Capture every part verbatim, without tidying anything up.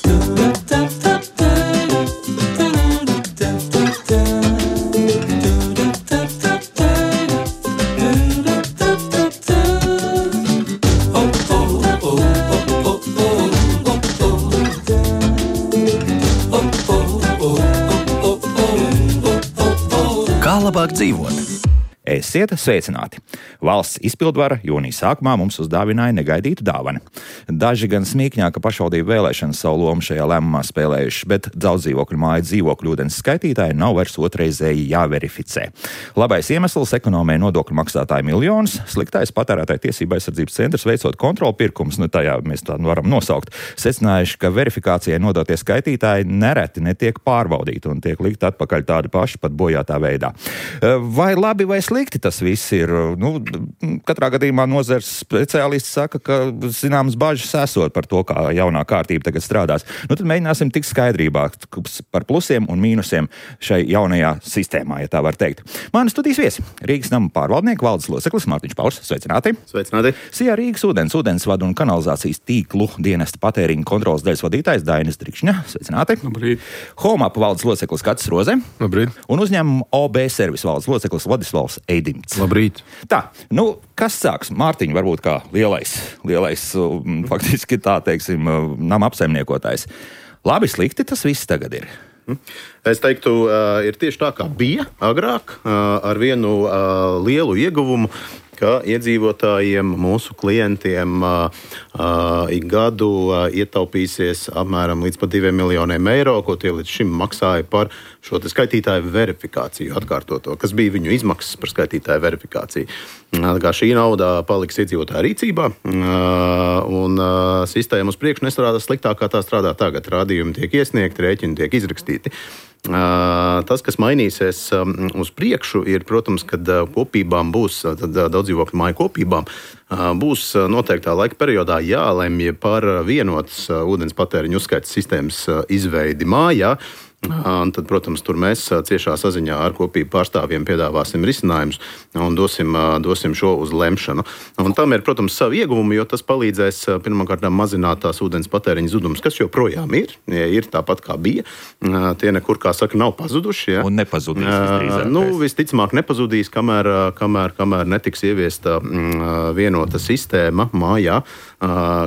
Kā labāk dzīvot? Esiet sveicināti! Valsts izpildvara jūnija sākumā mums uzdāvināja negaidītu dāvanu. Daži gan smīkņā, ka pašvaldību vēlēšanas savu lomu šajā lēmumā spēlējuši, bet daudz dzīvokļu māju dzīvokļu ūdens skaitītāji nav vairs otrreizēji jāverificē. Labais iemesls - ekonomē nodokļu maksātāju miljonus, sliktais patērētāju tiesību aizsardzības centrs veicot kontrolu pirkumus, nu tajā mēs tā varam nosaukt, secinājuši, ka verifikācijai nodotie skaitītāji nereti netiek pārbaudīti un tiek likt atpakaļ tādi paši pat bojātā veidā. Vai labi vai slikti tas viss ir? Nu, katrā gadījumā nozares speciālisti saka, ka zināmas bažas esot par to, kā jaunā kārtība tagad strādās. Nu, tad mēģināsim tikt skaidrībā par plusiem un mīnusiem šai jaunajā sistēmā, ja tā var teikt. Mani studijas viesi - Rīgas nama pārvaldnieku valdes loceklis Mārtiņš Pauls. Sveicināti! Sveicināti! Sijā Rīgas ūdens, ūdensvadu un kanalizācijas tīklu dienesta patēriņa kontrolas daļas vadītājs Dainis Drikšņa. Sveicināti! Labrīt! Homap valdes loceklis Katis Roze. Labrīt! Un uzņēmuma O B servis valdes loceklis Vladislavs Eidimts. Labrīt! Tā, nu, kas sāks? Mārtiņ, varbūt kā lielais, lielais, faktiski tā teiksim, nama apsaimniekotājs. Labi, slikti tas viss tagad ir. Es teiktu, ir tieši tā, kā bija agrāk, ar vienu lielu ieguvumu, ka iedzīvotājiem, mūsu klientiem uh, uh, ik gadu uh, ietaupīsies apmēram līdz pat diviem miljoniem eiro, ko tie līdz šim maksāja par šo te skaitītāju verifikāciju atkārtoto, kas bija viņu izmaksas par skaitītāju verifikāciju. Uh, kā šī nauda paliks iedzīvotāju rīcībā, uh, un uh, sistēma uz priekšu nestrādās sliktāk, kā tā strādā tagad. Rādījumi tiek iesniegti, rēķini tiek izrakstīti. Uh, tas, kas mainīsies um, uz priekšu, ir, protams, kad uh, kopībām būs, uh, tad, uh, daudz dzīvokļu māju kopībām, uh, būs uh, noteiktā laika periodā jālemj par uh, vienotas uh, ūdens patēriņu uzskaites sistēmas uh, izveidi mājā. Un tad, protams, tur mēs ciešā saziņā ar kopību pārstāvjiem piedāvāsim risinājumus un dosim, dosim šo uz lemšanu. Un tam ir, protams, savi ieguvumi, jo tas palīdzēs pirmkārt mazināt tās ūdens patēriņa zudumus, kas joprojām ir, ir tāpat kā bija. Tie nekur, kā saka, nav pazuduši. Ja? Un nepazudīs visdrīzāk. Nu, visticamāk nepazudīs, kamēr, kamēr, kamēr netiks ieviesta vienota sistēma mājā,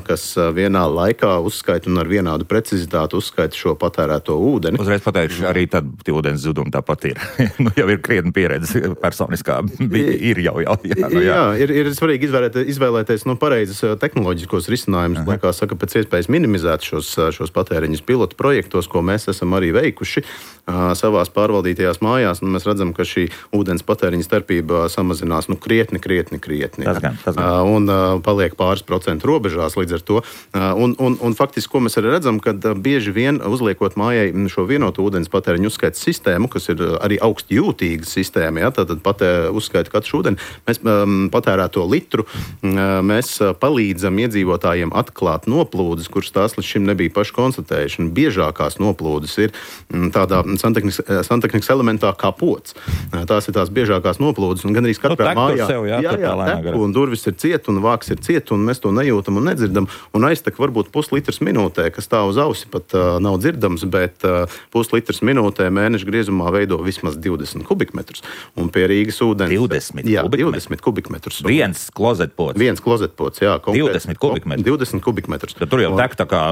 kas vienā laikā uzskaita un ar vienādu precizitāti uzskaita šo patērēto ūdeni. Uzreiz pateikšu, arī tad ūdens zudumi tāpat ir. Nu, jau ir krietni pieredze personiskā. Ir jau, jau. Jā, nu, jā. jā ir, ir svarīgi izvēlēties, izvēlēties nu, pareizus tehnoloģiskos risinājumus, lai, kā saka, pēc iespējas minimizēt šos, šos patēriņus pilotu projektos, ko mēs esam arī veikuši uh, savās pārvaldītajās mājās. Un mēs redzam, ka šī ūdens patēriņa starpība samazinās nu, krietni, krietni, krietni. Tas gan, tas gan. Uh, un uh, paliek pāris procentu robežās līdz ar to. Uh, un, un, un faktiski, ko mēs arī redzam, kad uh, bieži vien uzliekot mājai šo vienotu ūdens patēriņu uzskaites sistēmu, kas ir arī augsti jūtīga sistēma, ja, tad patē, uzskaita katru ūdeni, mēs um, patērēto litru, um, mēs palīdzam iedzīvotājiem atklāt noplūdes, kuras tās līdz šim nebija paši konstatējuši. Un biežākās noplūdes ir um, tādā santehnikas elementā kā pods. Tās ir tās biežākās noplūdes, un gan arī katrā nu, mājā sev, jā, jā, jā, teku, un durvis ir ciet, un vāks ir ciet, un mēs to nejūtam un nedzirdam, un aiztek varbūt puslitrs minūtē, kas tā uz ausi pat uh, nav dzirdams, bet uh, puslitrs minūtē mēneša griezumā veido vismaz divdesmit kubikmetrus. Un pie Rīgas ūdens... divdesmit jā, kubikmetrus? divdesmit kubikmetrus. Viens klozetpots? Viens klozetpots, jā. Konkrēt, divdesmit kubikmetrus? divdesmit kubikmetrus. Tad tur jau tek tā kā...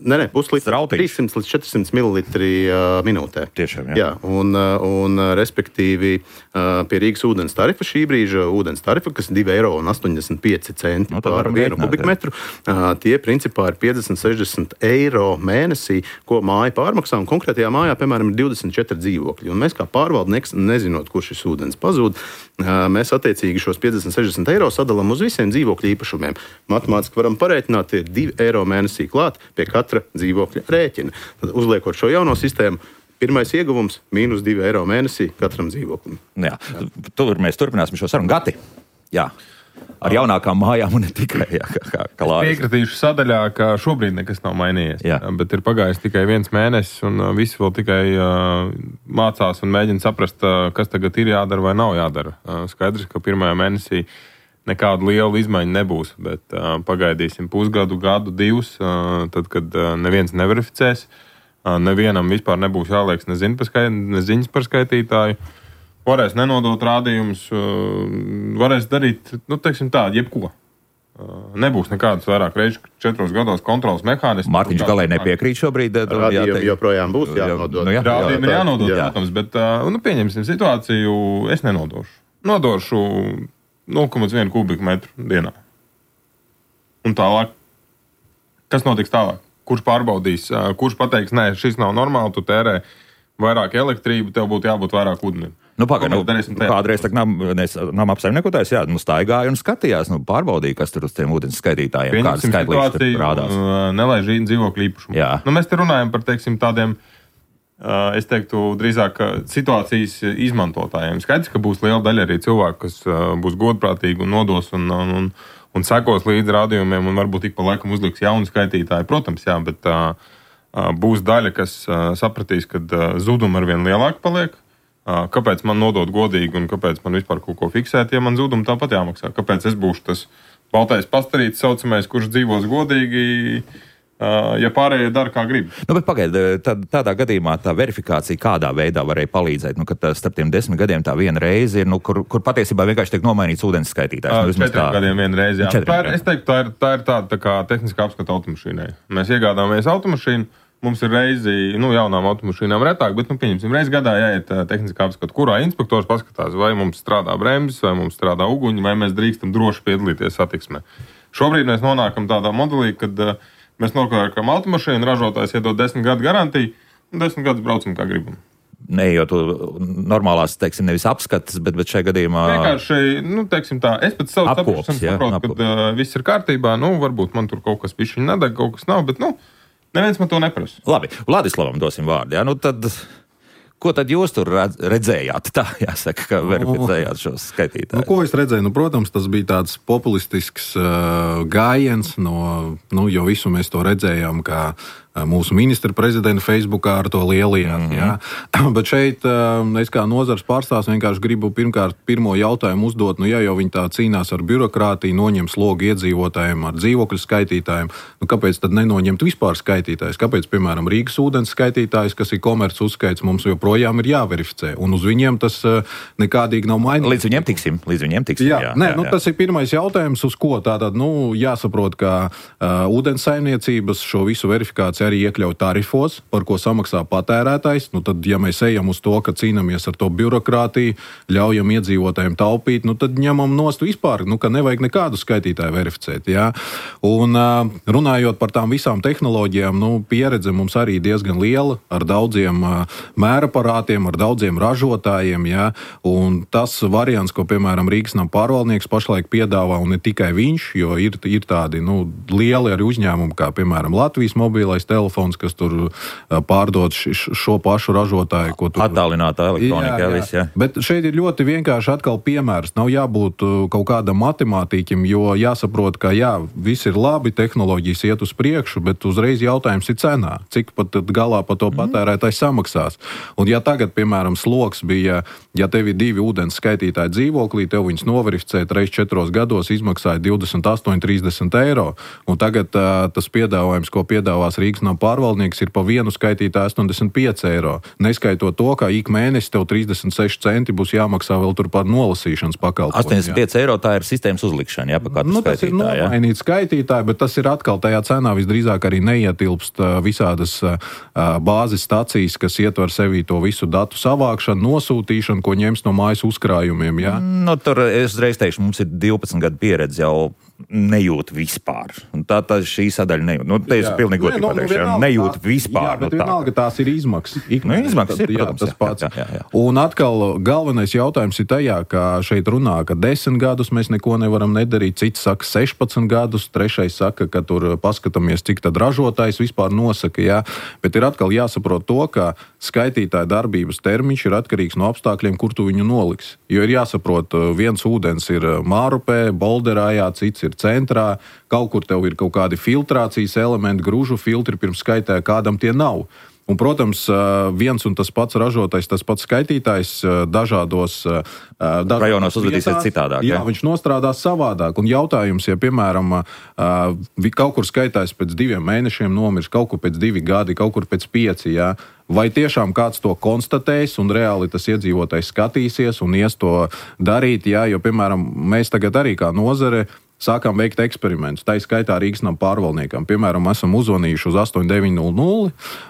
Nē, nē, puslitrs, trīssimts līdz četrsimt mililitri uh, minūtē. Tiešām, jā. jā un, uh, un respektīvi uh, pie Rīgas ūdens tarifa šī brīža ūdens tarifa, kas ir divi eiro un astoņdesmit pieci centi no, par vienu kubikmetru, uh, tie principā ir piecdesmit sešdesmit eiro mēnesī, ko māja pārmaksā, un konkrētajā mājā, piemēram, ir divdesmit četri dzīvokļi. Un mēs kā pārvaldnieks, nezinot, kur šis ūdens pazūd, mēs attiecīgi šos piecdesmit sešdesmit eiro sadalām uz visiem dzīvokļu īpašumiem. Matemātiski varam pareiķināt, ir divi eiro mēnesī klāt pie katra dzīvokļa rēķina. Tad uzliekot šo jauno sistēmu, pirmais ieguvums - mīnus divi eiro mēnesī katram dzīvoklim. Jā, tur mēs turpināsim šo sarunu. Gati, jā. Ar jaunākām mājām un ne tikai. Jā, kā, kā piekritīšu sadaļā, ka šobrīd nekas nav mainījies. Jā. Bet ir pagājis tikai viens mēnesis, un visi vēl tikai uh, mācās un mēģina saprast, uh, kas tagad ir jādara vai nav jādara. Uh, skaidrs, ka pirmajā mēnesī nekāda liela izmaiņa nebūs, bet uh, pagaidīsim pusgadu, gadu, divus, uh, tad, kad uh, neviens neverificēs, uh, nevienam vispār nebūs jāliek nezin par skait, neziņas par skaitītāju, varēs nenodot rādījumus, uh, varēs darīt, nu, teiksim tā, jebko. Uh, nebūs nekādas vairāk reižu četros gados kontrolas mehānismu. Mārtiņš galēji nepiekrīt šobrīd. Rādījumi joprojām būs jānodod. Nu, jā, Rādījumi ir jānodod, jā. protams, bet, uh, nu, pieņemsim situāciju, es nenodošu. Nodošu nulle komats viens kubikmetru dienā. Un tālāk, kas notiks tālāk? Kurš pārbaudīs, uh, kurš pateiks, nē, šis nav normāli, tu tērē vairāk elektrību, tev būtu jābūt vairāk ūdenim. Nu, pagaid, nu, kādreiz tā nam, nama apsaimniekotājs, jā, nu, staigāja un skatījās, nu, pārbaudīja, kas tur uz tiem ūdens skaitītājiem, kādas skaitlītes tur rādās. Nelaiž dzīvokļu īpašumu. Jā. Nu, mēs te runājam par, teiksim, tādiem, es teiktu, drīzāk situācijas izmantotājiem. Skaidrs, ka būs liela daļa arī cilvēku, kas būs godprātīgi un nodos un, un, un, un sekos līdz rādījumiem un varbūt ik pa laikam uzliks jaunu skaitītāju. Protams, jā, bet uh, būs daļa, kas uh, sapratīs, ka uh, zudumi arvien lielāki paliek. Kāpēc man nodot godīgi un kāpēc man vispār kaut ko fiksēt, ja man zudumi tāpat jāmaksā? Kāpēc es būšu tas baltais pastarīts saucamais, kurš dzīvos godīgi, ja pārējie dara kā grib? Nu, bet pagaid, tā, tādā gadījumā tā verifikācija kādā veidā varēja palīdzēt? Nu, kad starp tiem desmit gadiem tā viena reize ir, nu, kur, kur patiesībā vienkārši tiek nomainīts ūdens skaitītājs. Nu, četriem tā... gadiem viena reize, jā. Tā ir, es teiktu, tā ir, tā ir tāda tā kā tehniska apskata automašīnai. Mēs iegādāmies automašīnu. Mums ir reizi, nu, jaunām automašīnām retāk, bet, nu, pieņemsim, reizi gadā jāiet tehniskā apskata, kurā inspektors paskatās, vai mums strādā bremzes, vai mums strādā uguņi, vai mēs drīkstam droši piedalīties satiksmē. Šobrīd mēs nonākam tādā modelī, kad uh, mēs nopērkam automašīnu, ražotājs iedod desmit gadu garantiju, un desmit gadus braucam kā gribam. Neejot normālās, teiksim, nevis apskates, bet, bet šajā gadījumā... Vienkārši, nu, teiksim tā, es pēc savas saprašanas saprotu, ka uh, viss ir kārtībā, nu, varbūt man tur kaut kas pišķiņ nedeg, kaut kas nav, bet, nu, neviens man to neprasa. Labi, Vladislavam dosim vārdu. Jā, nu tad, ko tad jūs tur redzējāt? Tā jāsaka, ka verificējāt šos skaitītājus. Nu, ko es redzēju? Nu, protams, tas bija tāds populistisks uh, gājiens, no, nu, jo visu mēs to redzējām, kā mūsu ministra prezidenta Facebookā ar to lielajāt. Mm-hmm. Ja? Bet šeit es kā nozars pārstāvs vienkārši gribu pirmkārt pirmo jautājumu uzdot, nu ja jau viņi tā cīnās ar birokrātiju, noņem slogu iedzīvotājiem ar dzīvokļu skaitītājiem, nu kāpēc tad nenoņemt vispār skaitītājs? Kāpēc, piemēram, Rīgas ūdens skaitītājs, kas ir komerc uzskaits, mums joprojām ir jāverificē, un uz viņiem tas nekādīgi nav mainīts. Līdz viņiem tiksim, līdz viņiem tiksim. Jā, jā, nē, jā, nu, jā. Tas ir pirmais jautājums, uz ko tātad, nu, jāsaprot, ka uh, ūdens saimniecības šo visu verifikāciju arī iekļaut tarifos, par ko samaksā patērētājs. Nu, tad, ja mēs ejam uz to, ka cīnāmies ar to birokrātiju, ļaujam iedzīvotājiem taupīt, nu, tad ņemam nost vispār, nu, ka nevajag nekādu skaitītāju verificēt. Jā. Un uh, runājot par tām visām tehnoloģijām, nu, pieredze mums arī diezgan liela, ar daudziem uh, mēraparātiem, ar daudziem ražotājiem. Jā. Un tas variants, ko, piemēram, Rīgas nama pārvaldnieks pašlaik piedāvā, un ne tikai viņš, jo ir, ir tādi nu, lieli arī uzņēmumi, kā, piemēram, Latvijas mobilais telefons, kas tur pārdod šo pašu ražotāju. Ko tur... Attālinātā elektronika. Jā, jā. Viss, jā. Bet šeit ir ļoti vienkārši atkal piemērs. Nav jābūt kaut kādam matemātīķim, jo jāsaprot, ka jā, viss ir labi, tehnoloģijas iet uz priekšu, bet uzreiz jautājums ir cenā. Cik pat galā par to patērētājs samaksās. Un ja tagad, piemēram, sloks bija, ja tev ir divi ūdens skaitītāji dzīvoklī, tev viņus noverificēt reiz četros gados izmaksāja divdesmit astoņi trīsdesmit eiro. Un tagad uh, tas piedāvājums, ko piedāvās Rīgas nama pārvaldnieks, ir pa vienu skaitītāju astoņdesmit pieci eiro. Neskaitot to, ka ik mēnesi tev trīsdesmit seši centi būs jāmaksā vēl tur par nolasīšanas pakalpojumu. astoņdesmit pieci eiro tā ir sistēmas uzlikšana, jā, pa katru nu, skaitītāju. Tas ir nomainīt skaitītāju, bet tas ir atkal tajā cenā visdrīzāk arī neietilpst visādas bāzes stacijas, kas ietver sevī to visu datu savākšanu, nosūtīšanu, ko ņems no mājas uzkrājumiem, jā. Nu, tur es reiz teikšu, mums ir divpadsmit gadu pieredze jau nejūt vispār. Un tā, tā šī sadaļa nejūt. Nu, te es pilnīgi godīgi pateikšu, nu, nejūt tā, vispār. Jā, bet nu, vienalga tās ir izmaksas. Nu, izmaksas ir, jā, protams, tas jā, pats. Jā, jā, jā. Un atkal galvenais jautājums ir tajā, ka šeit runā, ka desmit gadus mēs neko nevaram nedarīt, cits saka sešpadsmit gadus, trešais saka, ka tur paskatāmies, cik tad ražotājs vispār nosaka, jā. Bet ir atkal jāsaprot to, ka skaitītāja darbības termiņš ir atkarīgs no apstākļiem, kur tu viņu noliks. Jo ir jāsaprot, viens ūdens ir Mārupē, Bolderājā, cits ir centrā, kaut kur tev ir kaut kādi filtrācijas elementi, grūžu filtri pirms skaitē, kādam tie nav. Un, protams, viens un tas pats ražotājs, tas pats skaitītājs dažādos, dažādos rajonos uzvedīsies citādāk. Jā, ja? Viņš nostrādās savādāk. Un jautājums, ja, piemēram, kaut kur skaitājs pēc diviem mēnešiem nomirs, kaut kur pēc divi gadi, kaut kur pēc pieci, jā, vai tiešām kāds to konstatēs un reāli tas iedzīvotājs skatīsies un ies to darīt, jā, jo, piemēram, mēs tagad arī kā nozare sākām veikt eksperimentus. Tā ir skaitā Rīgas nama pārvaldniekam. Piemēram, esam uzvanījuši uz astoņi deviņi nulle nulle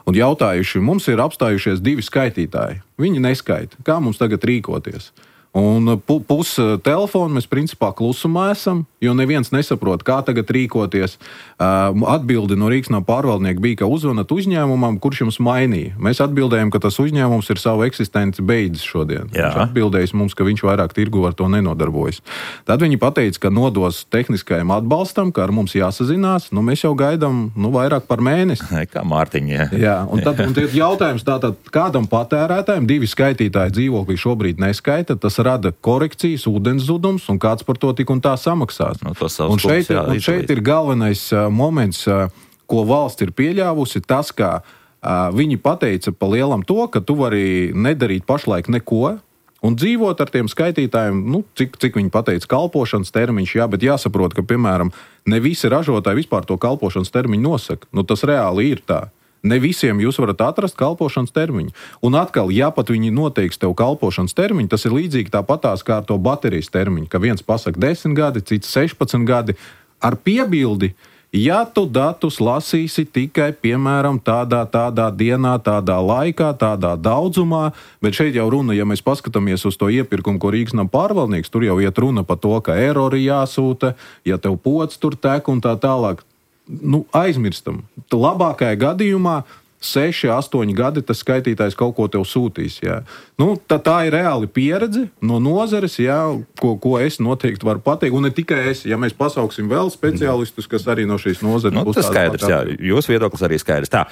un jautājuši, mums ir apstājušies divi skaitītāji. Viņi neskaita. Kā mums tagad rīkoties? Un pus telefonu mēs principā klusumā esam, jo neviens nesaprot, kā tagad rīkoties. Atbildi no Rīgas nama pārvaldnieka bija, ka uzvanat uzņēmumam, kurš jums mainīja. Mēs atbildējam, ka tas uzņēmums ir savu eksistenci beidzis šodien. Jā. Viņš atbildējis mums, ka viņš vairāk tirgu ar to nenodarbojas. Tad viņi pateica, ka nodos tehniskajam atbalstam, ka ar mums jāsazinās. Nu, mēs jau gaidām nu, vairāk par mēnesi. Kā Mārtiņa. Jā, jā un tad un jautājums tātad, kādam patērētājiem divi skaitītāji dzīvoklī šobrīd neskaita, tas rada korekcijas, ūdens zudums, un kāds par to tik un tā samaksās. No, un šeit, jā, un šeit ir galvenais uh, moments, uh, ko valsts ir pieļāvusi, tas, ka uh, viņi pateica pa lielam to, ka tu vari nedarīt pašlaik neko, un dzīvot ar tiem skaitītājiem, nu, cik, cik viņi pateica, kalpošanas termiņš, jā, bet jāsaprot, ka, piemēram, ne visi ražotāji vispār to kalpošanas termiņu nosaka. Nu, tas reāli ir tā. Ne visiem jūs varat atrast kalpošanas termiņu. Un atkal, ja pat viņi noteiks tev kalpošanas termiņu, tas ir līdzīgi tāpatās kā ar to baterijas termiņu, ka viens pasaka desmit gadi, cits sešpadsmit gadi, ar piebildi, ja tu datus lasīsi tikai, piemēram, tādā, tādā dienā, tādā laikā, tādā daudzumā, bet šeit jau runa, ja mēs paskatāmies uz to iepirkumu, ko Rīgas nama pārvaldnieks, tur jau iet runa par to, ka erori jāsūta, ja tev pods tur tek un tā tālāk. Nu, aizmirstam. Labākajā gadījumā seši, astoņi gadi tas skaitītājs kaut ko tev sūtīs. Jā. Nu, tā, tā ir reāli pieredze no nozares, jā, ko, ko es noteikti varu pateikt. Un ne tikai es, ja mēs pasauksim vēl speciālistus, kas arī no šīs nozares nu, būs tas skaidrs, jā. Jūsu viedoklis arī skaidrs. Tā,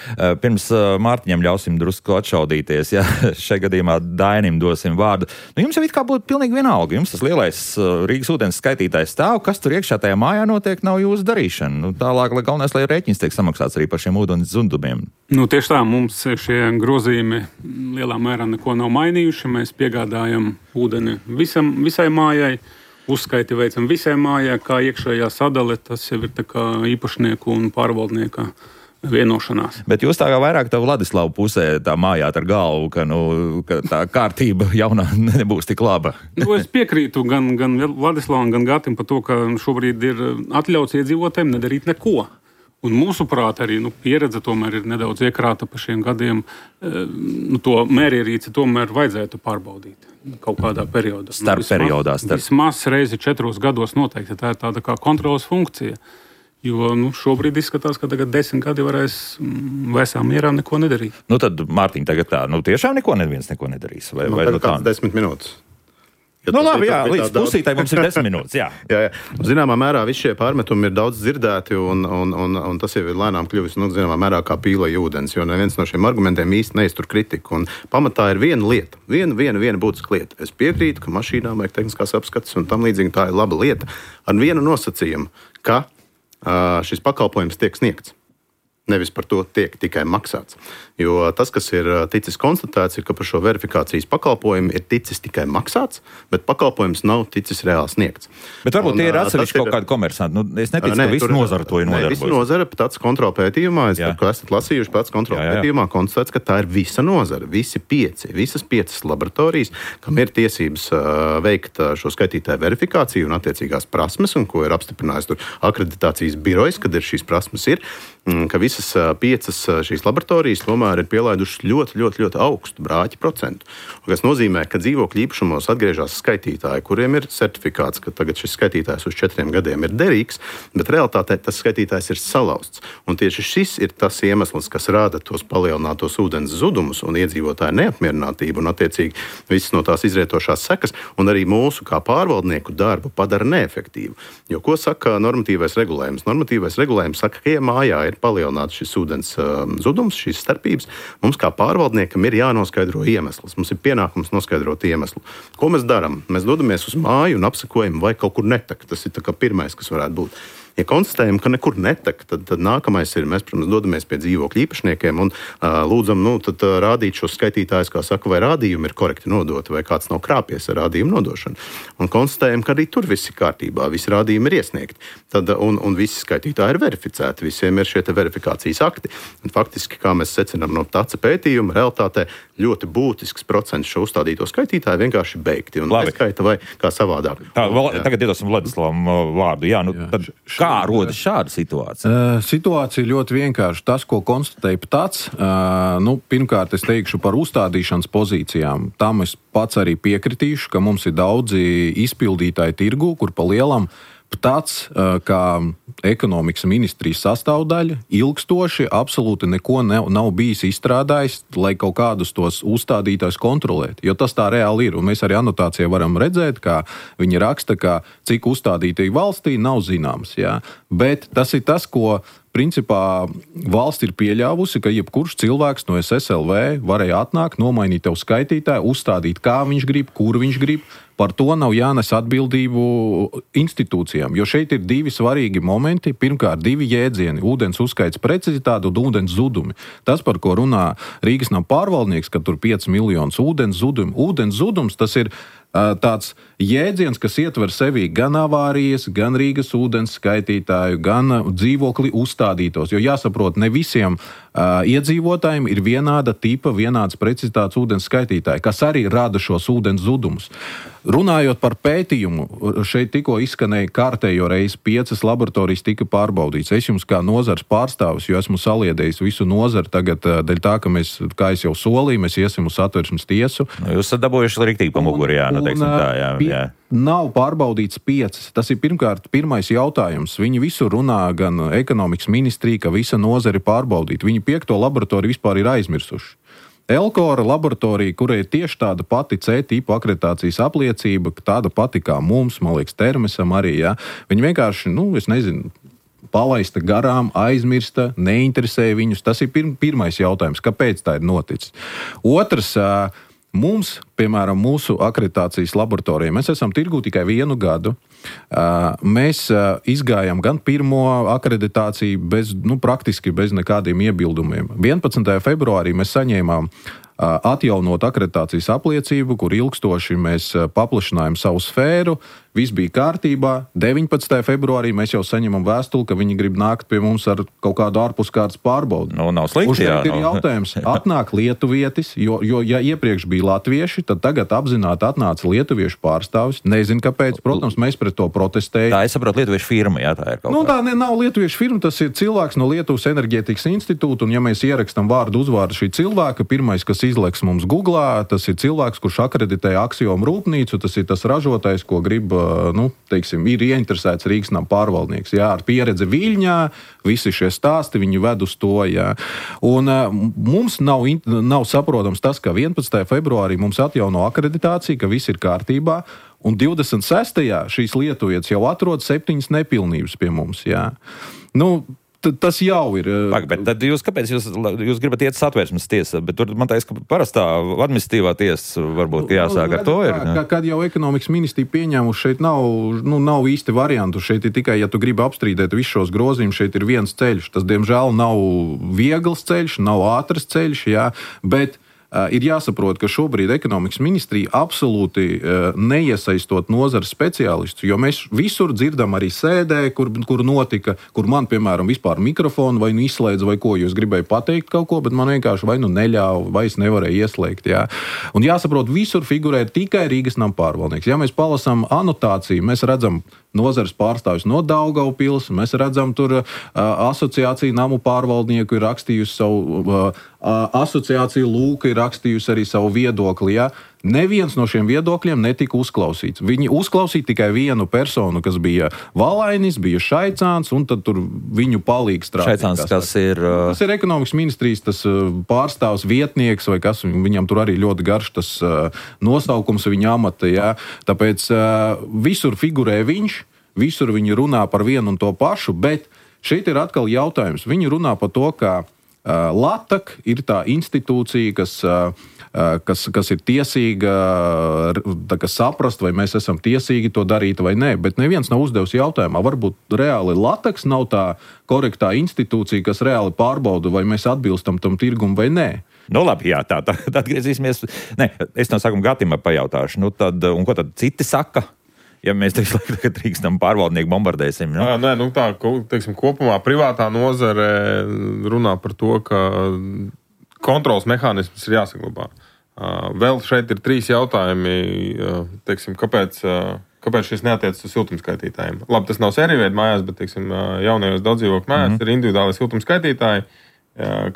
pirms Mārtiņam ļausim drusku atšaudīties, jā, šajā gadījumā Dainim dosim vārdu. Nu, jums jau it kā būtu pilnīgi vienalga. Jums tas lielais Rīgas ūdens skaitītājs stāv, kas tur iekšā tajā mājā notiek, nav jūsu darīšana. Nu, tālāk, lai galvenais, lai rēķins tiek samaksāts arī par šiem ūdens zudumiem. Nu, tieši tā, mums šie grozījumi lielā mērā neko nav mainījuši. Mēs piegādājam ūdeni visam, visai mājai, uzskaiti veicam visai mājai, kā iekšējā sadale, tas jau ir tā kā īpašnieku un pārvaldnieka vienošanās. Bet jūs tā kā vairāk tā Vladislava pusē tā mājāt ar galvu, ka, nu, ka tā kārtība jaunā nebūs tik laba. Nu, es piekrītu gan, gan Vladislavam, gan Gatim par to, ka šobrīd ir atļauts iedzīvotājiem nedarīt neko. Un mūsuprāt, arī nu, pieredze tomēr ir nedaudz iekrāta pa šiem gadiem. Nu, to mērierīci tomēr vajadzētu pārbaudīt kaut kādā periodā. Starp nu, vismaz, periodā. Starp. Vismaz reizi četros gados noteikti. Tā ir tāda kā kontrolas funkcija. Jo nu, šobrīd izskatās, ka tagad desmit gadi varēs vēsā mierā neko nedarīt. Nu tad, Mārtiņ, tagad tā, nu tiešām neko neviens neko nedarīs? Vai, nu, vai tagad kāds desmit minūtes. Ja nu labi, jā, līdz pusītai mums ir desmit minūtes, jā. jā, jā. Zināmā mērā visi šie pārmetumi ir daudz dzirdēti, un, un, un, un tas jau ir lēnām kļuvis, nu, zināmā mērā kā pīlai ūdens, jo neviens no šiem argumentiem īsti neiztur kritiku. Un pamatā ir viena lieta, viena, viena, viena būtiska lieta. Es piekrītu, ka mašīnām vajag tehniskās apskates, un tam līdzīgi tā ir laba lieta. Ar vienu nosacījumu, ka uh, šis pakalpojums tiek sniegts. Nevis par to tiek tikai maksāts. Jo tas, kas ir ticis konstatēts, ir, ka par šo verifikācijas pakalpojumu ir ticis tikai maksāts, bet pakalpojums nav ticis reāli sniegts. Bet varbūt un, tie ir atsevišķi kaut ir... kādi komersanti. Nu, es neticu, ne, ka visi nozara to ir nodarbojas. Visi nozara pēc kontrola pētījumā, es tā, ko esat lasījuši pēc kontrola pētījumā, konstatēts, ka tā ir visa nozara, visi pieci, visas piecas laboratorijas, kam ir tiesības uh, veikt uh, šo skaitītāju verifikāciju un attiecīgās prasmes, un ko ir apstiprinājis tur akreditācijas birojas, kad ir šīs prasmes ir, um, ka visas uh, piecas uh, šīs laboratorijas tomēr ir pielaidušas ļoti, ļoti, ļoti augstu brāķi procentu. Kas nozīmē, ka dzīvokļu īpašumos atgriežas skaitītāji, kuriem ir certifikāts, ka tagad šis skaitītājs uz četriem gadiem ir derīgs, bet realitātē tas skaitītājs ir salauzts. Un tieši šis ir tas iemesls, kas rāda tos palielinātos ūdens zudumus un iedzīvotāju neapmierinātību un attiecīgi visas no tās izrietošās sekas, un arī mūsu kā pārvaldnieku darbu padara neefektīvu. Jo ko saka normatīvais regulējums? Normatīvais regulējums saka, ka ja mājā ir palielināts šis ūdens um, zudums, šīs starpības, mums kā pārvaldniekam ir jānoskaidro iemesls. Mums ir pienākums noskaidrot iemeslu. Ko mēs darām? Mēs dodamies uz māju un apsekojam, vai kaut kur netek. Tas ir tā kā pirmais, kas varētu būt. Ja konstatējam, ka nekur netek, tad, tad nākamais ir, mēs, protams, dodamies pie dzīvokļu īpašniekiem un uh, lūdzam, nu, tad uh, rādīt šos skaitītājus, kā saka, vai rādījumi ir korekti nodoti, vai kāds nav krāpies ar rādījumu nodošanu. Un konstatējam, ka arī tur viss ir kārtībā, visi rādījumi ir iesniegti. Tad, un, un visi skaitītāji ir verificēti, visiem ir šie te verifikācijas akti. Un faktiski, kā mēs secinām no taca pētījuma, realitātē ļoti būtisks procents šo uzstādīto skaitītāju vienkārši beigti un neskaita vai kā savādāk. Tā, vēl, tagad iedosim Vladislavam vārdu. Jā, nu, tad kā rodas šāda situācija? Uh, situācija ļoti vienkārši. Tas, ko konstatēja tāds, uh, nu, pirmkārt, es teikšu par uzstādīšanas pozīcijām. Tam es pats arī piekritīšu, ka mums ir daudzi izpildītāji tirgu, kur pa lielam tāds, kā ekonomikas ministrijas sastāvdaļa, ilgstoši absolūti neko ne, nav bijis izstrādājis, lai kaut kādus tos uzstādītājus kontrolētu. Jo tas tā reāli ir. Un mēs arī anotācijā varam redzēt, kā viņi raksta, ka cik uzstādītāji valstī nav zināms. Jā. Bet tas ir tas, ko principā valsts ir pieļāvusi, ka jebkurš cilvēks no S S L V varēja atnākt, nomainīt tev skaitītāju, uzstādīt, kā viņš grib, kur viņš grib. Par to nav jānes atbildību institūcijām, jo šeit ir divi svarīgi momenti. Pirmkārt, divi jēdzieni - ūdens uzskaits precizitāte un ūdens zudumi. Tas, par ko runā Rīgas nama pārvaldnieks, ka tur pieci miljonus ūdens zudumi. Ūdens zudums tas ir uh, tāds jēdziens, kas ietver sevī gan avārijas, gan Rīgas ūdens skaitītāju, gan dzīvokli uzstādītos. Jo jāsaprot, ne visiem uh, iedzīvotājiem ir vienāda tipa, vienādas precizitātes ūdens skaitītāji, kas arī rada šos ūdens zudumus. Runājot par pētījumu, šeit tikko izskanēja kārtējo reizi piecas laboratorijas tika pārbaudīts. Es jums kā nozars pārstāvis, jo esmu saliedējis visu nozaru tagad, dēļ tā, ka mēs, kā es jau solīju, mēs iesim uz Satversmes tiesu. Jūs esat dabūjuši riktīgi pa muguri, jā, nu teiksim tā, jā. jā. Nav pārbaudīts piecas. Tas ir pirmkārt pirmais jautājums. Viņi visur runā, gan ekonomikas ministrija, ka visa nozara ir pārbaudīta. Viņi piekto laboratoriju vispār ir aizmirsuši. Elkora laboratorija, kurai ir tieši tāda pati C-tipa akreditācijas apliecība, tāda pati kā mums, man liekas, Termesam arī, jā. Viņi vienkārši, nu, es nezinu, palaista garām, aizmirsta, neinteresēja viņus. Tas ir pir- pirmais jautājums, kāpēc tā ir noticis. Otrs, mums, piemēram, mūsu akreditācijas laboratorijā, mēs esam tirgū tikai vienu gadu. Mēs izgājām gan pirmo akreditāciju bez, nu, praktiski bez nekādiem iebildumiem. vienpadsmitajā februārī mēs saņēmām atjaunot akreditācijas apliecību, kur ilgstoši mēs paplašinājām savu sfēru, viss bija kārtībā. deviņpadsmitajā februārī mēs jau saņemam vēstuli, ka viņi grib nākt pie mums ar kaut kādu ārpuskārtas pārbaudi. Nu, nav slikti, jā. Ir jautājums, atnāk lietuvietis, jo, jo ja iepriekš bija latvieši, tad tagad apzināti atnāca lietuviešu pārstāvis. Nezinu, kāpēc, protams, mēs pret to protestējam. Tā, es saprotu, lietuviešu firma, jā, tā ir kaut nu, kā. Tā ne, nav lietuviešu firma, tas ir cilvēks no Lietuvas enerģētikas institūta, un ja mēs ierakstam vārdu uzvārdu šī cilvēka, pirmais, kas izleks mums Googlā, tas ir cilvēks, kurš akreditē Aksiomu rūpnīcu, tas ir tas ražotājs, ko grib, nu, teiksim, ir ieinteresēts Rīgas nama pārvaldnieks, jā, ar pieredzi Viļņā, visi šie stāsti, viņi ved uz to, jā. Un uh, mums nav, nav saprotams tas, ka vienpadsmitajā februārī mums atjauno akreditāciju, ka viss ir kārtībā, un divdesmit sestajā šīs lietuvietas jau atrod septiņas nepilnības pie mums, jā. Nu, tas jau ir. Pag, bet tad jūs, kāpēc jūs, jūs gribat iet Satversmes tiesā? Bet tur man teiks, ka parastā administratīvā tiesa varbūt jāsāk ar to ir. Kā, kad jau ekonomikas ministrija pieņēmuši, šeit nav, nu, nav īsti variantu. Šeit ir tikai, ja tu gribi apstrīdēt visus šos grozījumus, šeit ir viens ceļš. Tas, diemžēl, nav viegls ceļš, nav ātrs ceļš, jā, bet Uh, ir jāsaprot, ka šobrīd ekonomikas ministrija absolūti uh, neiesaistot nozares speciālistus, jo mēs visur dzirdam arī sēdē, kur, kur notika, kur man, piemēram, vispār mikrofonu vai nu izslēdza vai ko, jūs gribēju pateikt kaut ko, bet man vienkārši vai nu neļāva, vai es nevarēju ieslēgt, jā. Un jāsaprot, visur figurē tikai Rīgas nama pārvaldnieks. Ja mēs palasām anotāciju, mēs redzam nozares pārstāvis no Daugavpils, mēs redzam tur uh, asociāciju namu pārvaldnieku ir rakstījusi savu uh, asociācija Lūka ir rakstījusi arī savu viedokli. Ja? Neviens no šiem viedokļiem netika uzklausīts. Viņi uzklausīja tikai vienu personu, kas bija Valainis, bija Šaicāns, un tad tur viņu palīgi strādāja. Šaicāns, kas ir... Uh... Tas ir ekonomikas ministrijas tas pārstāvs vietnieks, vai kas, viņam tur arī ļoti garš tas uh, nosaukums viņa amata. Ja? Tāpēc uh, visur figurē viņš, visur viņi runā par vienu un to pašu, bet šeit ir atkal jautājums. Viņi runā par to, ka Uh, LATAK ir tā institūcija, kas uh, kas, kas ir tiesīga kā saprast, vai mēs esam tiesīgi to darīt vai nē. Bet neviens nav uzdevis jautājumā. Varbūt reāli Lateks nav tā korektā institūcija, kas reāli pārbauda, vai mēs atbilstam tam tirgum vai nē. Nu, labi, jā, tā, tā, tā atgriezīsimies. Nē, es no sākuma Gatim pajautāšu, nu tad, un ko tad citi saka, ja mēs tagad drīkstam pārvaldnieku bombardēsim? Nu? Jā, nē, nu tā, teiksim, kopumā privātā nozare runā par to, ka kontrols mehānisms ir jāsaglabā. Vēl šeit ir trīs jautājumi, teiksim, kāpēc, kāpēc šis neatiecas uz siltumskaitītājiem. Labi, tas nav sēriju mājās, bet, teiksim, jaunajos daudzdzīvokļu mājās mm-hmm. ir individuāli siltumskaitītāji,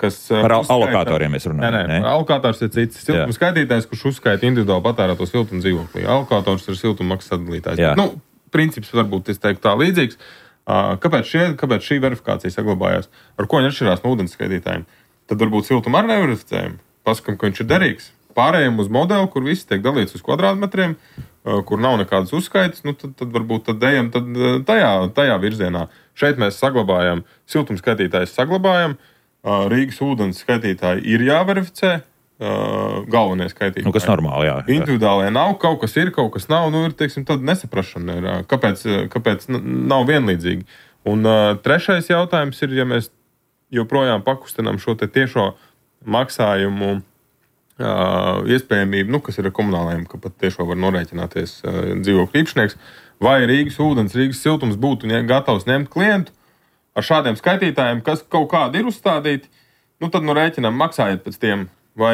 kas par uzskaita, alokatoriem mēs runājam. Nē, nē, nē. Alokators ir cits siltuma skaitītājs, kurš uzskaita individuāli patērēto siltumu dzīvoklī. Alokators ir siltuma maksas sadalītājs. Nu, princips varbūt, es teiktu, tā līdzīgs. Kāpēc, šie, kāpēc šī verifikācija saglabājās? Ar ko viņi atšķirās no ūdens skaitītājiem? Tad varbūt siltumu ar neverificējumu. Pasakam, ka viņš ir derīgs. Pārējiem uz modeli, kur viss tiek dalīts uz kvadrātmetriem, kur nav nekādas uzskaitas, nu, tad, tad varbūt tad ejam tad tajā, tajā virzienā. Šeit mēs saglabājam, siltumu skaitītājs saglabājam, Rīgas ūdens skaitītāji ir jāverificē, galvenie skaitītāji. Nu, kas normāli, jā. Individuālie nav, kaut kas ir, kaut kas nav, nu ir, teiksim, tad nesaprašana ir, kāpēc, kāpēc nav vienlīdzīgi. Un uh, trešais jautājums ir, ja mēs joprojām pakustinām šo te tiešo maksājumu uh, iespējamību, nu, kas ir ar komunālajiem, ka pat tiešo var norēķināties uh, dzīvokļu īpašnieks, vai Rīgas ūdens, Rīgas siltums būtu gatavs ņemt klientu ar šādiem skaitītājiem, kas kaut kādi ir uzstādīti, nu tad nu rēķinām maksājiet pēc tiem, vai,